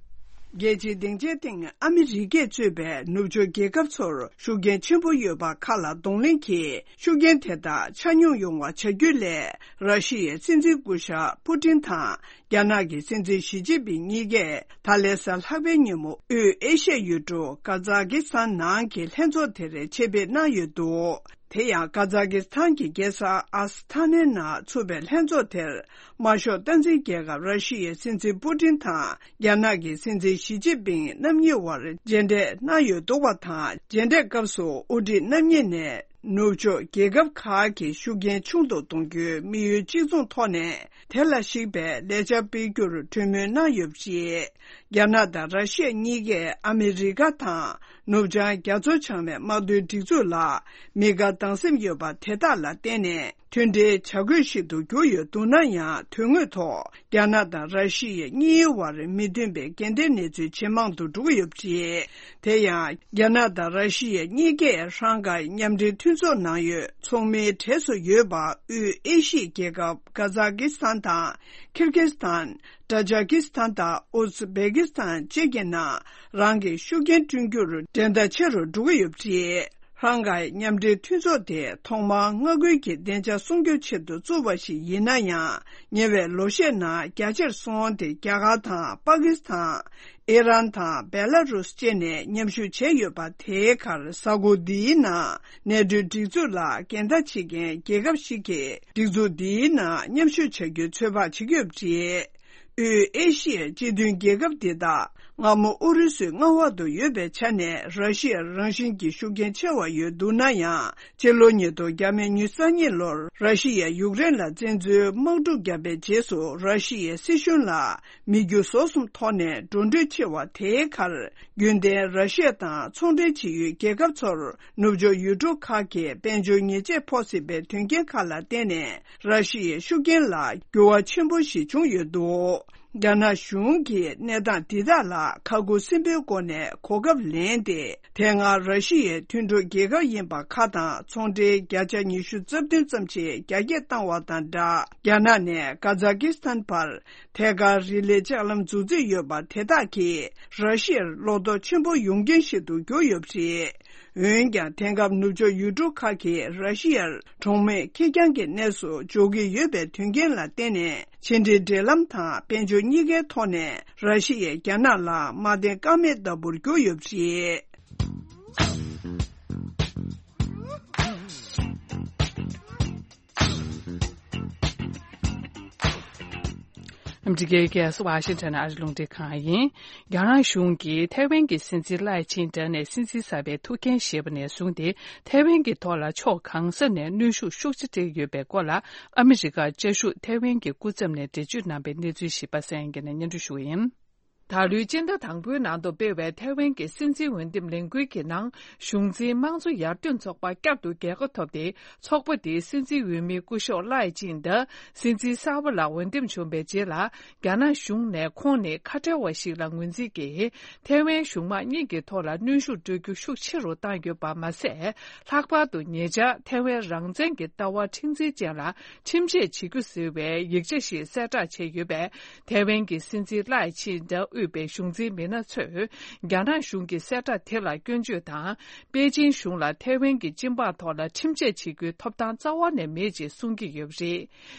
རྒྱལ་སྤྱིའི་སྡིངས་ཆའི་སྟེང་ཨ་མི་རི་ཀས་གཙོས་པའི་ནུབ་ཕྱོགས་རྒྱལ་ཁབ་ཚོར་ཤུགས་རྐྱེན་ཆེན་པོ་ཡོད་པ་ཁག་ལ་གདོང་ལེན་གྱིས་ཤུགས་རྐྱེན་དེ་དག་ཆ་སྙོམས་ཡོང་བ་བྱ་རྒྱུ་ལས་ར་ཤི་ཡའི་སྲིད་འཛིན་སྐུ་ཞབས་པུ་ཏིན་དང་། རྒྱ་ནག་གི་སྲིད་འཛིན་ཞི་ཅིན་ཕིང་གཉིས་ཀས་ད་ལན་གཟའ་ལྷག་པའི་ཉིན་མོ་དབུས་ཨེ་ཤི་ཡ་ཡུལ་གྲུ་ཀ་ཛ་ཀི་སི་ཐན་ནང་གི་ལྷན་ཚོགས་དེར་ཆེད་ཕེབས་གནང་ཡོད་འདུག་དེ་ཡང་ཀ་ཛ་ཀི་སི་ཐན་གྱི་རྒྱལ་ས་ཨ་སི་ཐ་ནའི་ནང་ཚུགས་པའི་ལྷན་ཚོགས་དེར་དམར་ཤོག་སྟངས་འཛིན་རྒྱལ་ཁབ་ར་ཤི་ཡའི་སྲིད་འཛིན་པུ་ཏིན་དང་རྒྱ་ནག་གི་སྲིད་འཛིན་ཞི་ཅིན་ཕིང་རྣམ་གཉིས་དབར་མཇལ་འཕྲད་གནང་ཡོད་འདུག་པ་དང་། མཇལ་འཕྲད་སྐབས་སུ་དབུ་ཁྲིད་རྣམ་གཉིས་ནས། ནུབ་ཕྱོགས་རྒྱལ་ཁབ་ཁག་གི་ཤུགས་རྐྱེན་ཆུང་དུ་གཏོང་རྒྱུའི་དམིགས་ཡུལ་གཅིག་མཚུངས་ཐོག་ནས་དེ་ལ་གཞིགས་པའི་ལས་འཆར་སྤེལ་རྒྱུར་གྲོས་མོལ་གནང་ཡོད་པ་རེད། རྒྱ་ནག་དང་ར་ཤི་ཡ་གཉིས་ཀས་ཨ་མི་རི་ཀ་དང་ནུབ་བྱང་རྒྱ་མཚོ་བྱང་མའི་དམག་དོན་སྒྲིག་འཛུགས་ལ་མི་དགའ་སྡང་སེམས་ཡོད་པ་དེ་དག་ལ་བརྟེན་ནས་མཐུན་སྒྲིལ་བྱ་དགོས་ཤིག་ཏུ་གྱུར་ཡོད་འདུག་ན་ཡང་། དོན་དངོས་ཐོག་རྒྱ་ནག་དང་ར་ཤི་ཡ་གཉིས་བར་མི་མཐུན་པའི་འགལ་ཟླའི་གནས་ཚུལ་ཇེ་མང་དུ་འགྲོ་གི་ཡོད་པ་རེད། དེ་ཡང་། རྒྱ་ནག་དང་ར་ཤི་ཡ་གཉིས་ཀས་ཧྲང་ཀའི་མཉམ་འབྲེལ་མཐུན་ཚོགས་ནང་ཡོད་ཚོགས་མིའི་གྲས་སུ་ཡོད་པ་དབུས་ཨེ་ཤི་ཡའི་རྒྱལ་ཁབ་ཀ་ཛ་ཀི་སི་ཐན་དང་། ཁིར་ཀི་སི་ཐན། ཏ་ཇ་ཀི་སི་ཐན་དང་ཨུ་ཛི་བེ་ཀི་སི་ཐན་བཅས་ཀྱི་ནང་རང་གི་ཤུགས་རྐྱེན་བསྐྲུན་རྒྱུར་འགྲན་ཟླ་ཆེ་རུ་འགྲོ་གི་ཡོད་པ་རེད། ཧྲང་ཀའི་མཉམ་འབྲེལ་མཐུན་ཚོགས་དེ་ཐོག་མར་མངའ་ཁུལ་གྱི་བདེ་འཇགས་སྲུང་སྐྱོབ་ཆེད་དུ་བཙུགས་པ་ཞིག་ཡིན་ན་ཡང་། ཉེ་བའི་ལོ་ཤས་ནང་རྒྱ་ཆེར་སོང་སྟེ་རྒྱ་གར་དང་པ་ཀི་སི་ཐན། ཨི་རན་དང་བེ་ལ་རུས་བཅས་ནས་མཉམ་ཞུགས་བྱས་ཡོད་པ། དེའི་ཁར་གཟའ་འཁོར་འདིའི་ནང་ནེ་ཊོའི་སྒྲིག་འཛུགས་ལ་འགལ་ཟླ་བྱེད་མཁན་རྒྱལ་ཁབ་ཞིག་གིས་སྒྲིག་འཛུགས་འདིའི་ནང་མཉམ་ཞུགས་བྱ་རྒྱུའི་ཚོད་དཔག་བྱེད་ཀྱི་ཡོད་པ་རེད། དབུས་ཨེ་ཤི་ཡའི་སྤྱི་མཐུན་རྒྱལ་ཁབ་འདི་དག་སྔ་མོ་ཨུ་རུ་སུའི་མངའ་འོག་ཏུ་ཡོད་པའི་ཆ་ནས་ར་ཤི་ཡར་རང་བཞིན་གྱིས་ཤུགས་རྐྱེན་ཆེ་བ་ཡོད་འདུག་ན་ཡང་། སྤྱི་ལོ་ཉིས་སྟོང་ཉེར་གཉིས་ལོར་ར་ཤི་ཡས་ཡུཀ་རེན་ལ་བཙན་འཛུལ་དམག་འཁྲུག་བརྒྱབ་པའི་རྗེས་སུ་ར་ཤི་ཡའི་སྲིད་གཞུང་ལ་མི་རྒྱུ་ཟོག་གསུམ་ཐོག་ནས་འགྲོ་གྲོན་ཆེ་བ། དེའི་ཁར་རྒྱུན་ལྡན་ར་ཤི་ཡ་དང་ཚོང་འབྲེལ་བྱེད་ཡུལ་རྒྱལ་ཁབ་ཚོར་ནུབ་ཕྱོགས་ཡུལ་གྲུ་ཁག་གི་དཔལ་འབྱོར་ཉེས་ཆད་ཕོག་སྲིད་པའི་དོན་རྐྱེན་ཁག་ལ་བརྟེན་ནས། ར་ཤི་ཡའི་ཤུགས་རྐྱེན་ལ་འགྱུར་བ་ཆེན་པོ་ཞིག་བྱུང་ཡོད་འདུག་རྒྱ་ནག་གཞུང་གིས་གནས་སྟངས་འདི་དག་ལ་ཁ་ཁུ་སིམ་པོའི་སྒོ་ནས་གོ་སྐབས་ལེན་ཏེ། དེ་སྔ་ར་ཤི་ཡའི་མཐུན་གྲོགས་རྒྱལ་ཁབ་ཡིན་པ་ཁག་དང་ཚོང་འབྲེལ་བརྒྱ་ཆ་ཉི་ཤུ་རྩ་བདུན་ཙམ་ཞིག་རྒྱ་སྐྱེད་བཏང་བ་དང་སྦྲགས། རྒྱ་ནག་ནས་ཀ་ཛ་ཀི་སི་ཐན་བར་ཐད་ཀར་རི་ལི་ལྕགས་ལམ་འཛུགས་རྩིས་ཡོད་པ་དེ་དག་གིས་ར་ཤི་ཡར་བློ་དོགས་ཆེན་པོ་ཡོང་རྐྱེན་ཞིག་ཏུ་གྱུར་ཡོད་པ་རེད། འོན་ཀྱང་། དེང་སྐབས་ནུབ་ཕྱོགས་ཡུལ་གྲུ་ཁག་གིས་ར་ཤི་ཡར་གྲོང་མི་ཁེར་རྐྱང་གི་གནས་སུ་འཇོག་གི་ཡོད་པའི་དོན་རྐྱེན་ལ་བརྟེན་ནས། ཕྱི་འབྲེལ་འབྲེལ་ལམ་དང་དཔལ་འབྱོར་གཉིས་ཀའི་ཐོག་ནས་ར་ཤི་ཡས་རྒྱ་ནག་ལ་དམའ་འཐེན་ཀ་མེད་ལྟ་བུར་གྱུར་ཡོད་པ་རེད། ཨ་མི་རི་ཀའི་རྒྱལ་ས་ཝ་ཤིང་ཊོན་ཨ་རི་རླུང་འཕྲིན་ཁང་ཡིན། རྒྱ་ནག་གཞུང་གིས་ཐའེ་ཝན་གྱི་སྲིད་འཛིན་ལའེ་ཆིང་ཏེ་ནས་སྲིད་འཛིན་གསར་པའི་ཐུགས་འགན་བཞེས་པ་ནས་བཟུང་སྟེ། ཐའེ་ཝན་གྱི་ཐོག་ལ་ཕྱོགས་གང་ས་ནས་གནོན་ཤུགས་ཤུགས་ཆེ་སྤྲད་ཡོད་པའི་སྐོར་ལ། ཨ་མི་རི་ཀ་བཅའ་བཞུགས་ཐའེ་ཝན་གྱི་སྐུ་ཚབ་ནས་འགྲེལ་བརྗོད་གནང་པའི་གནས་ཚུལ་ཞིག་པ་སངས་དབྱངས་སྐྱིད་ནས་སྙན་སྒྲོན་ཞུ་གི་ཡིན། ད་ལོའི་སྤྱི་ཟླ་དང་པོའི་ནང་དུ་སྤེལ་བའི་ཐའེ་ཝན་གྱི་སྲིད་འཛིན་འོས་འདེམས་ལས་འགུལ་གྱི་ནང་། གཞུང་འཛིན་དམངས་གཙོ་ཡར་ཐོན་ཚོགས་པ་བསྐྱར་དུ་རྒྱལ་ཁ་ཐོབ་སྟེ། ཚོགས་པ་དེའི་སྲིད་འཛིན་འོས་མི་སྐུ་ཞབས་ལའེ་ཅིན་དང་། སྲིད་འཛིན་གསར་པ་ལ་འོས་འདེམས་བྱུང་བའི་རྗེས་ལ། རྒྱ་ནག་གཞུང་ནས་ཁོང་ནི་ཁ་བྲལ་བ་ཞིག་ལ་ངོས་འཛིན་གྱིས། ཐའེ་ཝན་གཞུང་དམངས་གཉིས་ཀྱི་ཐོག་ལ་གནོན་ཤུགས་སྤྲོད་རྒྱུ་ཤུགས་ཆེ་རུ་བཏང་ཡོད་པ་མ་ཟད། ལྷག་པར་དུ་ཉེ་ཆར་ཐའེ་ཝན་རང་བཙན་གྱི་ལྟ་བ་མཁྲེགས་འཛིན་ཅན་ལ་ཁྲིམས་ཆད་བྱེད་རྒྱུ་ཟེར་བའི་ཡིག་ཆ་ཞིག་གསལ་བསྒྲགས་བྱས་ཡོད་པས། ཐའེ་ཝན་གྱི་སྲིད་འཛིན་ལའེ་ཆིན་དང་དབུས་པའི་གཞུང་འཛིན་མི་སྣ་ཚོས། རྒྱ་ནག་གཞུང་གི་གསལ་བསྒྲགས་དེ་ལ་སྐྱོན་བརྗོད་དང་། པེ་ཅིན་གཞུང་ལ་ཐའེ་ཝན་གྱི་སྤྱི་འབངས་ཐོག་ལ་ཁྲིམས་ཆད་བྱེད་རྒྱུའི་ཐོབ་ཐང་རྩ་བ་ནས་མེད་ཅེས་གསུང་གི་ཡོད་པ་རེད།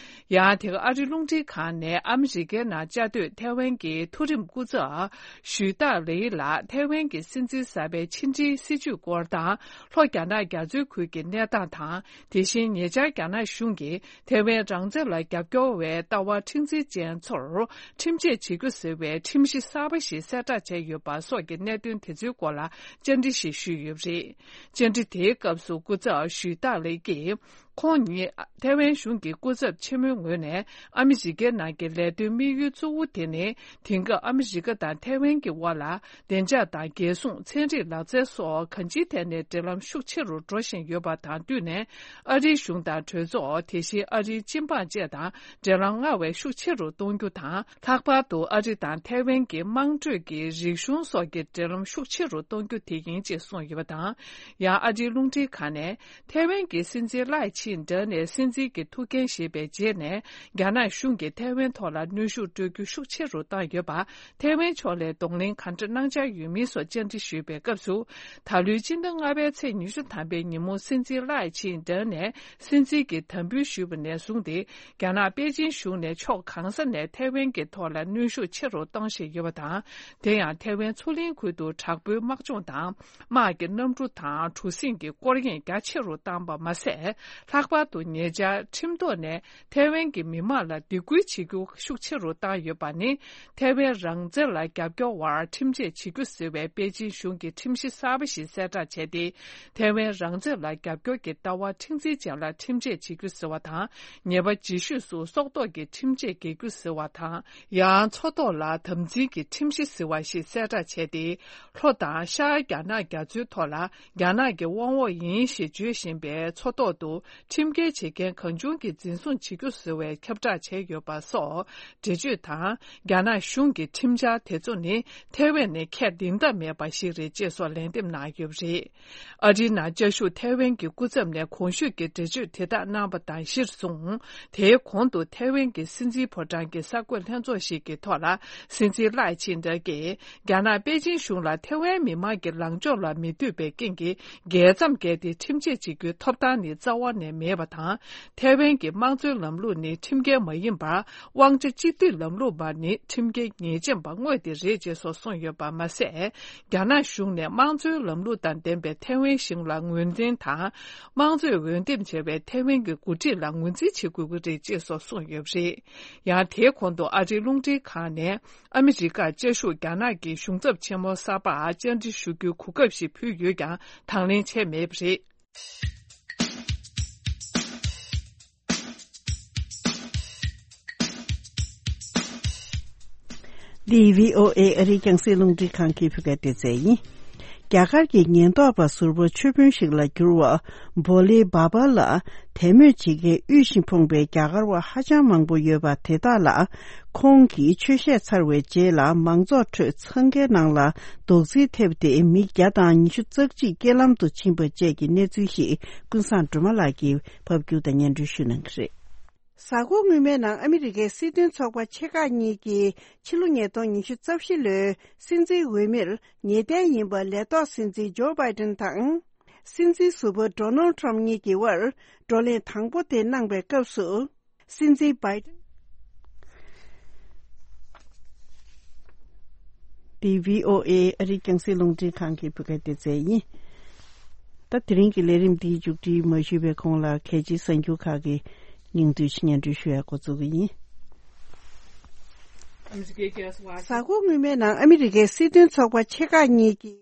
ཡང་དེ་ག་ཨ་རི་རླུང་འཕྲིན་ཁང་ནས་ཨ་མི་རི་ཀའི་ནང་བཅའ་སྡོད་ཐའེ་ཝན་གྱི་མཐོ་རིམ་སྐུ་ཚབ་ཞུས་ཏཱ་ལེ་ལ་ཐའེ་ཝན་གྱི་སྲིད་འཛིན་གསར་པའི་ཕྱི་འབྲེལ་སྲིད་ཇུས་སྐོར་དང་། ལྷོ་རྒྱ་ནག་རྒྱ་མཚོའི་ཁུལ་གྱི་གནས་སྟངས་དང་། དེ་བཞིན་ཉེ་ཆར་རྒྱ་ནག་གཞུང་གིས་ཐའེ་ཝན་རང་བཙན་ལ་རྒྱབ་སྐྱོར་བའི་ལྟ་བ་མཁྲེགས་འཛིན་ཅན་ཚོར་ཁྲིམས་ཆད་བྱེད་རྒྱུ་ཟེར་བའི་ཁྲིམས་གཞི་གསར་པ་ཞིག་གསལ་བསྒྲགས་བྱས་ཡོད་པ་སོགས་ཀྱི་གནད་དོན་དེ་ཚོའི་སྐོར་ལ་བཅར་འདྲི་ཞིག་ཞུས་ཡོད་པ་རེད། བཅར་འདྲི་དེའི་སྐབས་སུ་སྐུ་ཚབ་ཞུས་ཏཱ་ལེ་ཀྱིས། ཁོང་ཉིད་ཐའེ་ཝན་གཞུང་གི་སྐུ་ཚབ་ཆེན་མོའི་ངོས་ནས། ཨ་མི་རི་ཀའི་ནང་གི་ལས་དོན་དམིགས་ཡུལ་གཙོ་བོ་དེ་ནི། དེང་སྐབས་ཨ་མི་རི་ཀ་དང་ཐའེ་ཝན་གྱི་དབར་ལ། བདེ་འཇགས་དང་། རྒྱལ་སྲུང་། ཚན་རིག་ལག་རྩལ་སོགས་གང་ཅིའི་ཐད་ནས་འབྲེལ་ལམ་ཤུགས་ཆེ་རུ་འགྲོ་བཞིན་ཡོད་པ་དང་བསྟུན་ནས། ཨ་རིའི་གཞུང་དང་གྲོས་ཚོགས། དེ་བཞིན་ཨ་རིའི་སྤྱི་འབངས་བཅས་དང་འབྲེལ་ལམ་སྔར་བས་ཤུགས་ཆེ་རུ་གཏོང་རྒྱུ་དང་། ལྷག་པར་དུ་ཨ་རི་དང་ཐའེ་ཝན་གྱི་དམངས་ཁྲོད་ཀྱི་རིག་གཞུང་སོགས་ཀྱི་འབྲེལ་ལམ་ཤུགས་ཆེ་རུ་གཏོང་རྒྱུ་དེ་ཡིན་ཅེས་གསུངས་ཡོད་པ་དང་། ཡང་ཨ་རིའི་རླུང་འཕྲིན་ཁང་ནས། ཐའེ་ཝན་གྱི་སྲིད་འཛིན་ལའེ་ཆིན་ཏེ་ནས་སྲིད་འཛིན་གྱི་ཐུགས་འགན་བཞེས་པའི་རྗེས་ནས། རྒྱ་ནག་གཞུང་གིས་ཐའེ་ཝན་ཐོག་ལ་གནོན་ཤུགས་སྤྲོད་རྒྱུ་ཤུགས་ཆེ་རུ་བཏང་ཡོད་པ། ཐའེ་ཝན་ཕྱོགས་ལས་གདོང་ལེན་ག་འདྲ་གནང་འཆར་ཡོད་མིན་སོགས་བཅར་འདྲི་ཞུས་པའི་སྐབས་སུ། ད་ལོའི་སྤྱི་ཟླ་ལྔ་པའི་ཚེས་ཉི་ཤུ་ཐམ་པའི་ཉིན་མོ། སྲིད་འཛིན་ལའེ་ཆིན་ཏེ་ནས་སྲིད་འཛིན་གྱི་དམ་འབུལ་ཞུས་པ་ནས་བཟུང་སྟེ། རྒྱ་ནག་པེ་ཅིན་གཞུང་ནས་ཕྱོགས་གང་ས་ནས་ཐའེ་ཝན་གྱི་ཐོག་ལ་གནོན་ཤུགས་ཆེ་རུ་གཏོང་བཞིན་ཡོད་པ་དང་། དེ་ཡང་ཐའེ་ཝན་མཚོ་གླིང་ཁུལ་དུ་དྲག་པོའི་དམག་སྦྱོང་དང་། དམག་གི་གནམ་གྲུ་དང་གྲུ་གཟིངས་ཀྱི་སྐོར་གཡེང་རྒྱ་ཆེ་རུ་བཏང་པ་མ་ཟད། ལྷག་པར་དུ་ཉེ་ཆར་ཁྲིམས་ཐོག་ནས་ཐའེ་ཝན་གྱི་མི་དམངས་ལ་སྡིགས་སྐུལ་བྱེད་རྒྱུ་ཤུགས་ཆེ་རུ་བཏང་ཡོད་པ་ནི། ཐའེ་ཝན་རང་བཙན་ལ་རྒྱབ་སྐྱོར་བར་ཁྲིམས་ཆད་བྱེད་རྒྱུ་ཟེར་བའི་པེ་ཅིན་གཞུང་གི་ཁྲིམས་གཞི་གསར་པ་ཞིག་གསལ་བསྒྲགས་བྱས་ཏེ། ཐའེ་ཝན་རང་བཙན་ལ་རྒྱབ་སྐྱོར་གྱི་ལྟ་བ་མཁྲེགས་འཛིན་ཅན་ལ་ཁྲིམས་ཆད་བྱེད་རྒྱུ་ཟེར་བ་དང་། ཉེས་པ་ལྗིད་ཤོས་སུ་སྲོག་ཐོག་གི་ཁྲིམས་ཆད་འགེལ་རྒྱུ་ཟེར་བ་དང་། ཡང་མཚོ་ཐོག་ལ་དམ་འཛིན་གྱི་ཁྲིམས་གཞི་ཟེར་བ་ཞིག་གསལ་བསྒྲགས་བྱས་ཏེ། ལྷོ་དང་ཤར་རྒྱ་ནག་རྒྱ་མཚོའི་ཐོག་ལ་རྒྱ་ནག་གི་དབང་འོག་ཡིན་ཞེས་བརྗོད་བཞིན་པའི་མཚོ་ཐོག་ཏུ་ཁྲིམས་འགལ་བྱེད་མཁན་གང་བྱུང་གིས་འཛིན་བཟུང་བྱེད་རྒྱུ་ཟེར་བའི་ཁྱབ་བསྒྲགས་བྱས་ཡོད་པ་སོགས་འགྲེལ་བརྗོད་དང་། རྒྱ་ནག་གཞུང་གི་ཁྲིམས་འཆར་དེ་ཚོ་ནི་ཐའེ་ཝན་ནི་ཁས་ལེན་ཐབས་མེད་པ་ཞིག་རེད་ཅེས་སོགས་ལན་འདེབས་གནང་ཡོད་པ་རེད། ཨ་རིའི་ནང་བཅའ་བཞུགས་ཐའེ་ཝན་གྱི་སྐུ་ཚབ་ནས་གོང་ཞུས་ཀྱི་འགྲེལ་བརྗོད་དེ་དག་གནང་བ་དང་གཞིར་བཟུང་། དེའི་གོང་དུ་ཐའེ་ཝན་གྱི་སྲིད་འཛིན་ཕོ་བྲང་གི་གསར་འགོད་ལྷན་ཚོགས་ཤིག་གི་ཐོག་ལ། སྲིད་འཛིན་ལའེ་ཆིན་ཏེ་གྱིས། རྒྱ་ནག་པེ་ཅིན་གཞུང་ལ་ཐའེ་ཝན་མི་དམངས་ཀྱི་ལངས་ཕྱོགས་ལ་མི་འདོད་པའི་རྐྱེན་གྱིས། རྒྱལ་མཚམས་བརྒལ་ཏེ་ཁྲིམས་ཆད་བྱེད་རྒྱུའི་ཐོབ་ཐང་ནི་རྩ་བ་ནས་མེད་པ་དང་། ཐའེ་ཝན་གྱི་དམངས་གཙོའི་ལམ་ལུགས་ནི་ཁྲིམས་འགལ་མ་ཡིན་པར། དབང་ཆ་གཅིག་སྡུད་ལམ་ལུགས་མ་ནི་ཁྲིམས་འགལ་ཉེས་ཅན་པ་དངོས་དེ་རེད་ཅེས་སོགས་གསུངས་ཡོད་པ་མ་ཟད། རྒྱ་ནག་གཞུང་ནས་དམངས་གཙོའི་ལམ་ལུགས་དང་ལྡན་པའི་ཐའེ་ཝན་གཞུང་ལ་ངོས་འཛིན་དང་། དམངས་གཙོས་འོས་འདེམས་བྱས་པའི་ཐའེ་ཝན་གྱི་འགོ་ཁྲིད་ལ་ངོས་འཛིན་བྱེད་དགོས་ཀྱི་རེད་ཅེས་སོགས་གསུངས་ཡོད་པ་རེད། ཡང་དེའི་གོང་དུ་ཨ་རིའི་རླུང་འཕྲིན་ཁང་ནས། ཨ་མི་རི་ཀར་བཅའ་བཞུགས་རྒྱ་ནག་གི་གཞུང་ཚབ་ཆེན་མོ་གསར་པར་བཅར་འདྲི་ཞུ་རྒྱུའི་གོ་སྐབས་ཤིག་ཕུལ་ཡོད་ཀྱང་དང་ལེན་བྱས་མེད་པ་རེད། འདི་བྷི་ཨོ་ཨེ་ཨ་རིའི་རྒྱང་སྲིང་རླུང་འཕྲིན་ཁང་གི་བོད་སྐད་སྡེ་ཚན་ཡིན། རྒྱ་གར་གྱི་ཉེན་རྟོག་པ་ཟུར་པ་ཆོས་དཔོན་ཞིག་ལ་གྱུར་བ་བྷོ་ལེ་བྷ་བྷ་ལ་དད་མོས་བྱེད་མཁན་དབུལ་ཞིང་ཕོངས་པའི་རྒྱ་གར་བ་ཧ་ཅང་མང་པོ་ཡོད་པ་དེ་དག་ལ། ཁོང་གིས་ཆོས་བཤད་ཚར་བའི་རྗེས་ལ་མང་ཚོགས་ཁྲོད་འཚང་ཁའི་ནང་ལ་རྡོག་རྫིས་ཐེབས་ཏེ་མི་བརྒྱ་དང་ཉི་ཤུ་རྩ་གཅིག་རྐྱེན་ལམ་དུ་ཕྱིན་པ་བཅས་ཀྱི་གནས་ཚུལ་ཞིག་ཀུན་བཟང་སྒྲོལ་མ་ལགས་ཀྱིས་ཕབ་སྒྱུར་དང་སྙན་སྒྲོན་ཞུ་གནང་གི་རེད། གཟའ་འཁོར་སྔོན་མའི་ནང་ཨ་མི་རི་ཀའི་སྲིད་དོན་ཚོགས་པ་ཆེ་ཁག་གཉིས་ཀྱིས་ཕྱི་ལོ་ཉིས་སྟོང་ཉི་ཤུ་རྩ་བཞི་ལོའི་སྲིད་འཛིན་འོས་མིར་ངེས་གཏན་ཡིན་པ་ལས་ཐོག་སྲིད་འཛིན་ཇོ་བྷའི་ཏིན་དང་། སྲིད་འཛིན་ཟུར་པ་ཌོ་ནལ་ཁྲམ་གཉིས་ཀྱི་དབར་བགྲོ་གླེང་དང་པོ་དེ་གནང་པའི་སྐབས་སུ། སྲིད་འཛིན་བྷའི་ཏིན། འདི་བྷི་ཨོ་ཨེ་ཨ་རིའི་རྒྱང་སྲིང་རླུང་འཕྲིན་ཁང་གི་བོད་སྐད་སྡེ་ཚན་ཡིན། ད་དེ་རིང་གི་ལས་རིམ་འདིའི་མཇུག་སྒྲིལ་མ་ཞུས་པའི་གོང་ལ་གལ་ཆེའི་གསར་འགྱུར་ཁག་གི་སྙིང་བསྡུས་སྙན་སྒྲོན་ཞུ་ཡ་འགོ་འཛུགས་ཀྱི་ཡིན། གཟའ་འཁོར་སྔོན་མའི་ནང་ཨ་མི་རི་ཀའི་སྲིད་དོན་ཚོགས་པ་ཆེ་ཁག་གཉིས་ཀྱིས།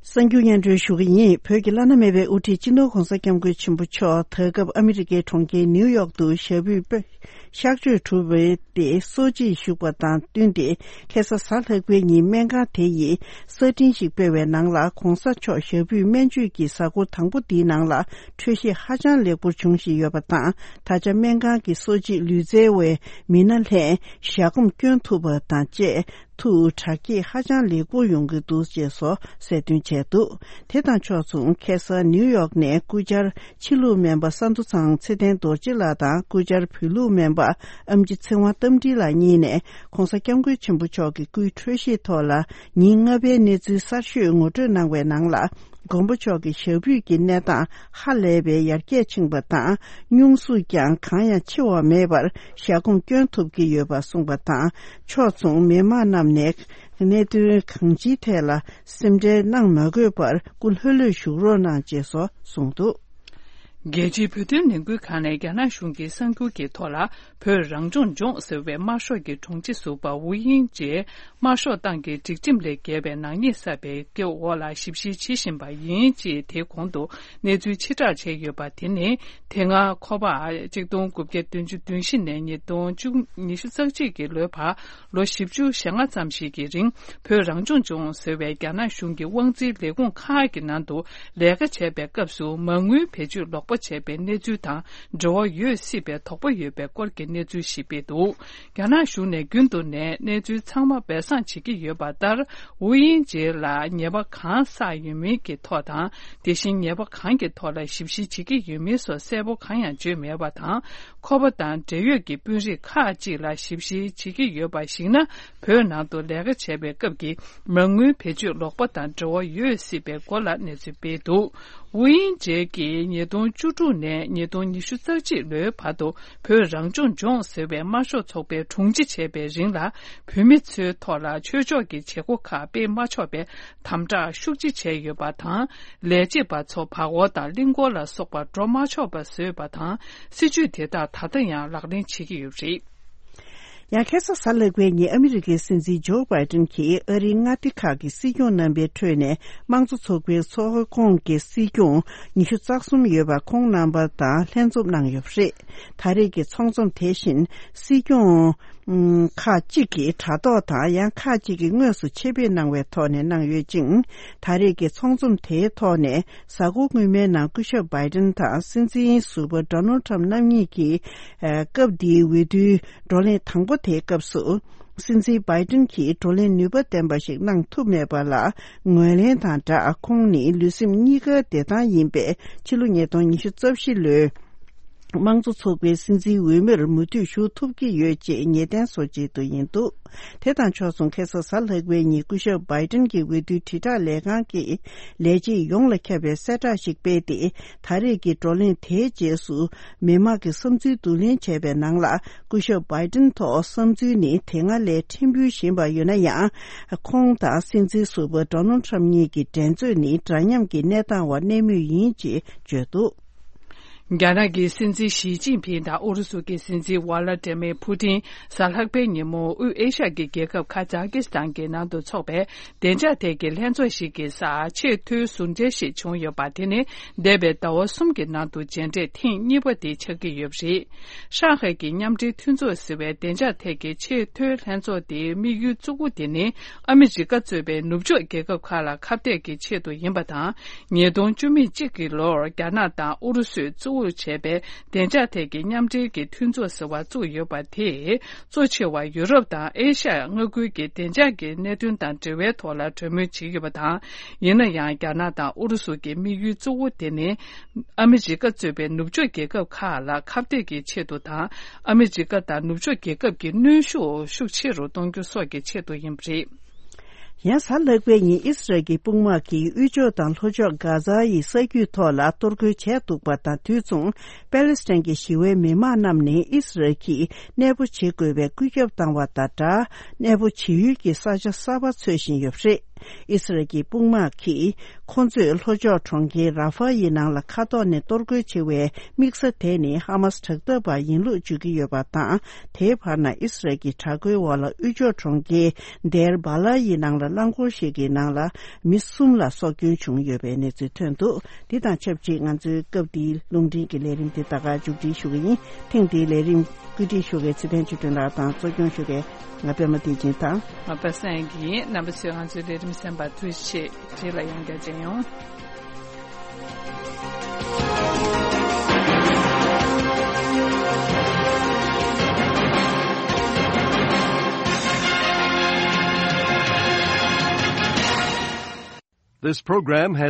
གསར་འགྱུར་སྙན་སྒྲོན་ཞུ་གི་ཡིན། བོད་ཀྱི་བླ་ན་མེད་པའི་དབུ་ཁྲིད་སྤྱི་ནོར་༧གོང་ས་༧སྐྱབས་མགོན་ཆེན་པོ་མཆོག་ད་སྐབས་ཨ་མི་རི་ཀའི་གྲོང་ཁྱེར་ནིའུ་ཡོག་ཏུ་ཞབས་པུས་པད་གཤག་བཅོས་གྲུབ་པའི་སྟེང་གསོལ་ཇ་བཞུགས་པ་དང་བསྟུན་ཏེ། ཁ་སང་གཟའ་ལྷག་པའི་ཉིན་སྨན་ཁང་དེ་ཡིས་གསར་འཕྲིན་ཞིག་སྤེལ་བའི་ནང་ལ། ༧གོང་ས་མཆོག་ཞབས་པུས་སྨན་བཅོས་ཀྱི་གཟའ་འཁོར་དང་པོ་འདིའི་ནང་ལ་འཕྲོད་བཞེས་ཧ་ཅང་ལེགས་པོར་བྱུང་བཞིན་ཡོད་པ་དང་། ད་ཆ་སྨན་ཁང་གི་གསོ་བྱེད་ལུས་རྩལ་བའི་མི་སྣ་ལྷན་ཞལ་སྒོམ་སྐྱོན་ཐུབ་པ་དང་བཅས། ཐུགས་དྲག་སྐྱེད་ཧ་ཅང་ལེགས་པོ་ཡོང་གི་འདུག་ཅེས་སོགས་གསལ་སྟོན་བྱས་འདུག་དེ་དང་ཕྱོགས་མཚུངས། ཁ་སང་ནིའུ་ཡོག་ནས་སྐུ་བཅར་ཕྱི་ལུགས་སྨན་པ་ས་འདུ་ཚང་ཚེ་བརྟན་རྡོ་རྗེ་ལགས་དང་། སྐུ་བཅར་བོད་ལུགས་སྨན་པ་ཨེམ་ཆི་ཚེ་དབང་རྟ་མགྲིན་ལགས་གཉིས་ནས་༧གོང་ས་༧སྐྱབས་མགོན་ཆེན་པོ་མཆོག་གི་སྐུའི་འཕྲོད་བཞེས་ཐོག་ལ་ཉིན་ལྔ་པའི་གནས་ཚུལ་གསར་ཤོས་ངོ་སྤྲོད་གནང་བའི་ནང་ལ། མགོན་པོ་མཆོག་གི་ཞབས་པུས་ཀྱི་གནས་སྟངས་ཧ་ལས་པའི་ཡར་རྒྱས་ཕྱིན་པ་དང་། སྙུང་ཟུག་ཀྱང་གང་ཡང་ཆེ་བ་མེད་པར་ཞལ་སྒོམ་སྐྱོན་ཐུབ་ཀྱི་ཡོད་པ་གསུངས་པ་དང་། ཕྱོགས་མཚུངས། མི་མང་རྣམས་ནས་གནད་དོན་གང་ཅིའི་ཐད་ལ་སེམས་ཁྲལ་གནང་མ་དགོས་པར་སྐུ་ལྷོད་ལྷོད་བཞུགས་རོགས་གནང་ཅེས་སོགས་གསུངས་འདུག་རྒྱལ་སྤྱིའི་བོད་དོན་ལས་འགུལ་ཁང་ནས་རྒྱ་ནག་གཞུང་གི་གསར་འགྱུར་གྱི་ཐོག་ལ། བོད་རང་སྐྱོང་ལྗོངས་ཟེར་བའི་དམར་ཤོག་གི་དྲུང་ཆེ་ཟུར་པ་ཝུའུ་དབྱིང་ཅེས་དམར་ཤོག་ཏང་གི་སྒྲིག་ཁྲིམས་ལས་འགལ་བའི་ནག་ཉེས་བསགས་པའི་སྐད་འོག་ལ་ཞིབ་བཤེར་བྱེད་བཞིན་པ་ཡིན་ཅེས་དེའི་གོང་དུ་གནས་ཚུལ་ཕྱིར་བསྒྲགས་བྱས་ཡོད་པ་དེ་ནི། དེ་སྔ་ཁོ་པ་གཅིག་སྟོང་དགུ་བརྒྱ་བདུན་ཅུ་དོན་བཞི་ནས་ཉིས་སྟོང་ཉི་ཤུ་རྩ་གཅིག་གི་ལོའི་བར་ལོ་བཞི་བཅུ་ཞེ་ལྔ་ཙམ་ཞིག་གི་རིང་། བོད་རང་སྐྱོང་ལྗོངས་ཟེར་བའི་རྒྱ་ནག་གཞུང་གི་དབང་འཛིན་ལས་ཁུངས་ཁག་གི་ནང་དུ་ལས་ཀ་བྱས་པའི་སྐབས་སུ་མ་དངུལ་བེད་སྤྱོད་ལོག་པ་བྱས་པའི་གནས་ཚུལ་དང་འབྲེལ་བ་ཡོད་སྲིད་པའི་དོགས་པ་ཡོད་པའི་སྐོར་གྱི་གནས་ཚུལ་ཞིག་སྤེལ་འདུག་རྒྱ་ནག་གཞུང་ནས་རྒྱུན་དུ་ནས་གནས་ཚུལ་ཚང་མ་སྦས་གསང་བྱེད་ཀྱི་ཡོད་པ་ལྟར། ཝུའུ་དབྱིང་ཇེ་ལ་ཉེས་པ་གང་བསགས་ཡོད་མིན་གྱི་ཐོག་དང་། དེ་བཞིན་ཉེས་པ་གང་གི་ཐོག་ལ་ཞིབ་བཤེར་བྱེད་ཀྱི་ཡོད་མིན་སོགས་གསལ་པོ་གང་ཡང་བརྗོད་མེད་པ་དང་། ཁོ་པ་དང་འབྲེལ་ཡོད་ཀྱི་དཔོན་རིགས་ཁག་ཅིག་ལ་ཞིབ་བཤེར་བྱེད་ཀྱི་ཡོད་པ་ཞིག་ན། བོད་ནང་དུ་ལས་ཀ་བྱས་པའི་སྐབས་ཀྱི་མ་དངུལ་བེད་སྤྱོད་ལོག་པ་དང་འབྲེལ་བ་ཡོད་སྲིད་པའི་སྐོར་ལ་གནས་ཚུལ་སྤེལ་འདུག་ཝུའུ་དབྱིང་ཇེ་གིས་ཉིས་སྟོང་བཅུ་དྲུག་ནས་ཉིས་སྟོང་ཉི་ཤུ་རྩ་གཅིག་ལོའི་བར་དུ་བོད་རང་སྐྱོང་ལྗོངས་ཟེར་བའི་དམར་ཤོག་ཚོགས་པའི་དྲུང་ཆེ་བྱས་པའི་རིང་ལ། བོད་མི་ཚོའི་ཐོག་ལ་ཆོས་ཕྱོགས་ཀྱི་བྱེད་སྒོ་ཁག་སྤེལ་མ་ཆོག་པའི་དམ་དྲག་ཤུགས་ཆེ་བྱས་ཡོད་པ་དང་། ལས་བྱེད་པ་ཚོ་བར་སྐོར་དང་གླིང་སྐོར་ལ་སོགས་པར་འགྲོ་མ་ཆོག་པ་བཟོས་པ་དང་། སྲིད་ཇུས་དེ་དག་ད་ལྟ་ཡང་ལག་ལེན་བྱེད་ཀྱི་ཡོད་པ་རེད། ཡང་ཁ་སང་གཟའ་ལྷག་པའི་ཉིན་ཨ་མི་རི་ཀའི་སྲིད་འཛིན་ཇོ་བྷའི་ཏིན་གྱིས་ཨ་རིའི་མངའ་སྡེ་ཁག་གི་སྲིད་སྐྱོང་རྣམ་པའི་ཁྲོད་ནས་དམངས་གཙོ་ཚོགས་པའི་ཚོགས་ཁོངས་ཀྱི་སྲིད་སྐྱོང་ཉི་ཤུ་རྩ་གསུམ་ཡོད་པ་ཁོང་རྣམ་པ་དང་ལྷན་འཛོམས་གནང་ཡོད་པ་རེད། ད་རེས་ཀྱི་ཚོགས་འཛོམས་དེ་བཞིན་སྲིད་སྐྱོང་ཁག་ཅིག་གིས་དྲ་ཐོག་དང་ཡང་ཁག་ཅིག་གིས་དངོས་སུ་ཆེད་ཕེབས་གནང་བའི་ཐོག་ནས་གནང་ཡོད་ཅིང་། ད་རེས་ཀྱི་ཚོགས་འཛོམས་དེའི་ཐོག་ནས། གཟའ་འཁོར་སྔོན་མའི་ནང་སྐུ་ཞབས་བྷའི་ཏིན་དང་སྲིད་འཛིན་ཟུར་པ་ཌོ་ནལ་ཁྲམ་རྣམ་གཉིས་ཀྱིས། ཨ། སྐབས་འདིའི་འོས་བསྡུའི་བགྲོ་གླེང་དང་པོ་དེའི་སྐབས་སུ། སྲིད་འཛིན་བྷའི་ཏིན་གྱིས་བགྲོ་གླེང་ནུས་པ་ལྡན་པ་ཞིག་གནང་ཐུབ་མེད་པ་ལ་ངོས་ལེན་དང་སྦྲགས། ཁོང་ནི་ལུས་སེམས་གཉིས་ཀ་བདེ་ཐང་ཡིན་པས། ཕྱི་ལོ་ཉིས་སྟོང་ཉི་ཤུ་རྩ་བཞི་ལོའི་དམངས་གཙོ་ཚོགས་པའི་སྲིད་འཛིན་འོས་མིར་མུ་མཐུད་ཞུགས་ཐུབ་ཀྱི་ཡོད་ཅེས་ངེས་གཏན་བཟོ་ཆེད་དུ་ཡིན་འདུག་དེ་དང་ཕྱོགས་མཚུངས། ཁ་སང་གཟའ་ལྷག་པའི་ཉིན་སྐུ་ཞབས་བྷའི་ཏིན་གྱི་འོས་བསྡུའི་དྲིལ་བསྒྲགས་ལས་ཁང་གིས་ལས་བྱེད་ཡོངས་ལ་ཁྱབ་པའི་གསལ་བསྒྲགས་ཤིག་སྤེལ་ཏེ། ད་རེས་ཀྱི་བགྲོ་གླེང་དེའི་རྗེས་སུ་མི་མང་གི་བསམ་ཚུལ་བསྡུ་ལེན་བྱས་པའི་ནང་ལ། སྐུ་ཞབས་བྷའི་ཏིན་ཐོག་བསམ་ཚུལ་ནི་དེ་སྔ་ལས་ཕྲན་བུ་ཞན་པ་ཡོད་ན་ཡང་། ཁོང་དང་སྲིད་འཛིན་ཟུར་པ་ཌོ་ནལ་ཁྲམ་གཉིས་ཀྱི་འགྲན་རྩོད་ནི་འདྲ་མཉམ་གྱི་གནས་སྟངས་འོག་གནས་མུས་ཡིན་ཅེས་བརྗོད་འདུག་རྒྱ་ནག་གི་སྲིད་འཛིན་ཞི་ཅིན་ཕིང་དང་ཨུ་རུ་སུ་གྱི་སྲིད་འཛིན་ཝ་ལ་ཏྲེ་མེ་ཕུ་ཏིན་གཟའ་ལྷག་པའི་ཉིན་མོ་དབུས་ཨེ་ཤ་ཡའི་རྒྱལ་ཁབ་ཁག་ཛ་ཀི་སི་ཐན་གྱི་ནང་དུ་འཚོགས་པའི་བདེ་འཇགས་ཐད་ཀྱི་ལྷན་ཚོགས་ཤིག་གི་སར་ཆེས་མཐོའི་ཟུར་མཇལ་ཞིག་བྱུང་ཡོད་པ་དེ་ནི་འདས་པའི་ཟླ་བ་གསུམ་གྱི་ནང་དུ་མཇལ་འཕྲད་ཐེངས་གཉིས་པ་དེ་ཆགས་ཀྱི་ཡོད་པ་རེད། ཧྲང་ཧའེ་གྱི་མཉམ་འབྲེལ་མཐུན་ཚོགས་ཟེར་བའི་བདེ་འཇགས་ཐད་ཀྱི་ཆེས་མཐོའི་ལྷན་ཚོགས་དེའི་དམིགས་ཡུལ་གཙོ་བོ་དེ་ནི། ཨ་མི་རི་ཀ་གཙོས་པའི་ནུབ་ཕྱོགས་རྒྱལ་ཁབ་ཁག་ལ་ཁ་གཏད་ཀྱི་ཆེད་དུ་ཡིན་པ་དང་། ཉིས་སྟོང་བཅུ་མེད་གཅིག་གི་ལོར་རྒྱ་ནག་དང་ཨུ་རུ་སུས་གཙོ་བོར་བྱས་པའི་བདེ་འཇགས་ཐད་ཀྱི་མཉམ་འབྲེལ་གྱི་མཐུན་ཚོགས་ཟེར་བ་བཙུགས་ཡོད་པ་དེས། གཙོ་ཆེ་བ་ཡུ་རོབ་དང་ཨེ་ཤ་ཡ་མངའ་ཁུལ་གྱི་བདེ་འཇགས་ཀྱི་གནད་དོན་དང་འབྲེལ་བའི་ཐོག་ལ་གྲོས་མོལ་བྱེད་ཀྱི་ཡོད་པ་དང་། ཡིན་ན་ཡང་རྒྱ་ནག་དང་ཨུ་རུ་སུ་གྱི་དམིགས་ཡུལ་གཙོ་བོ་དེ་ནི། ཨ་མི་རི་ཀ་གཙོས་པའི་ནུབ་ཕྱོགས་རྒྱལ་ཁབ་ཁག་ལ་ཁ་གཏད་ཀྱི་ཆེད་དུ་དང་། ཨ་མི་རི་ཀ་དང་ནུབ་ཕྱོགས་རྒྱལ་ཁབ་ཀྱི་གནོན་ཤུགས་ཤུགས་ཆེ་རུ་གཏོང་རྒྱུ་སོགས་ཀྱི་ཆེད་དུ་ཡིན་པ་རེད། ཡང་གཟའ་ལྷག་པའི་ཉིན་ཨི་སི་རལ་གྱི་དཔུང་དམག་གིས་དབུས་ཕྱོགས་དང་ལྷོ་ཕྱོགས་གྷ་ཛ་ཡི་ས་རྒྱུད་ཐོག་ལ་གཏོར་རྒོལ་བྱས་འདུག་པ་དང་། དུས་མཚུངས་པེ་ལེ་སི་ཐན་གྱི་ཞི་བའི་མི་མང་རྣམས་ནི་ཨི་སི་རལ་གྱིས་གནས་སྤོ་བྱེད་དགོས་པའི་བཀོད་ཁྱབ་བཏང་བ་དང་སྦྲགས། གནས་སྤོ་བྱེད་ཡུལ་གྱི་ས་ཆ་གསར་པ་འཚོལ་བཞིན་ཡོད་པ་རེད། ཨི་སི་རལ་གྱི་དཔུང་དམག་གིས་ཁོ་ཚོས་ལྷོ་ཕྱོགས་གྲོང་ཁྱེར་ར་ཧྥ་ཡི་ནང་ལ་མཁའ་ཐོག་ནས་གཏོར་རྒོལ་བྱེད་པའི་དམིགས་ས་དེ་ནི་ཧ་མ་སི་དྲག་འཐབ་པ་ཡིན་ལུགས་བརྗོད་ཀྱི་ཡོད་པ་དང་། དེའི་བར་ན་ཨི་སི་རལ་གྱི་དྲག་རྒོལ་འོག་ལ་དབུས་ཕྱོགས་གྲོང་ཁྱེར་དེར་བ་ལ་ཡི་ནང་ལ་རླངས་འཁོར་ཞིག་གི་ནང་ལ་མི་གསུམ་ལ་སྲོག་སྐྱོན་བྱུང་ཡོད་པའི་གནས་ཚུལ་ཐོན་འདུག་འདི་དང་ཆབས་ཅིག་ང་ཚོའི་སྐབས་འདིའི་རླུང་འཕྲིན་གྱི་ལས་རིམ་འདི་ད་ག་མཇུག་སྒྲིལ་ཞུ་གི་ཡིན། ཐེངས་འདིའི་ལས་རིམ་བཀོད་སྒྲིག་ཞུ་མཁན་ཚེ་བརྟན་ཆོས་སྒྲོན་ལགས་དང་གཙོ་སྐྱོང་ཞུ་མཁན་ང་པད་མ་བདེ་ཆེན་དང་། ང་པ་སངས་ཡིན། རྣམ་པ་ཚོས་ང་ཚོའི་ལས་རིམ་གསན་པར་ཐུགས་རྗེ་ཆེ། རྗེས་ལ་ཡང་བསྐྱར་མཇལ་ཡོང་། This program has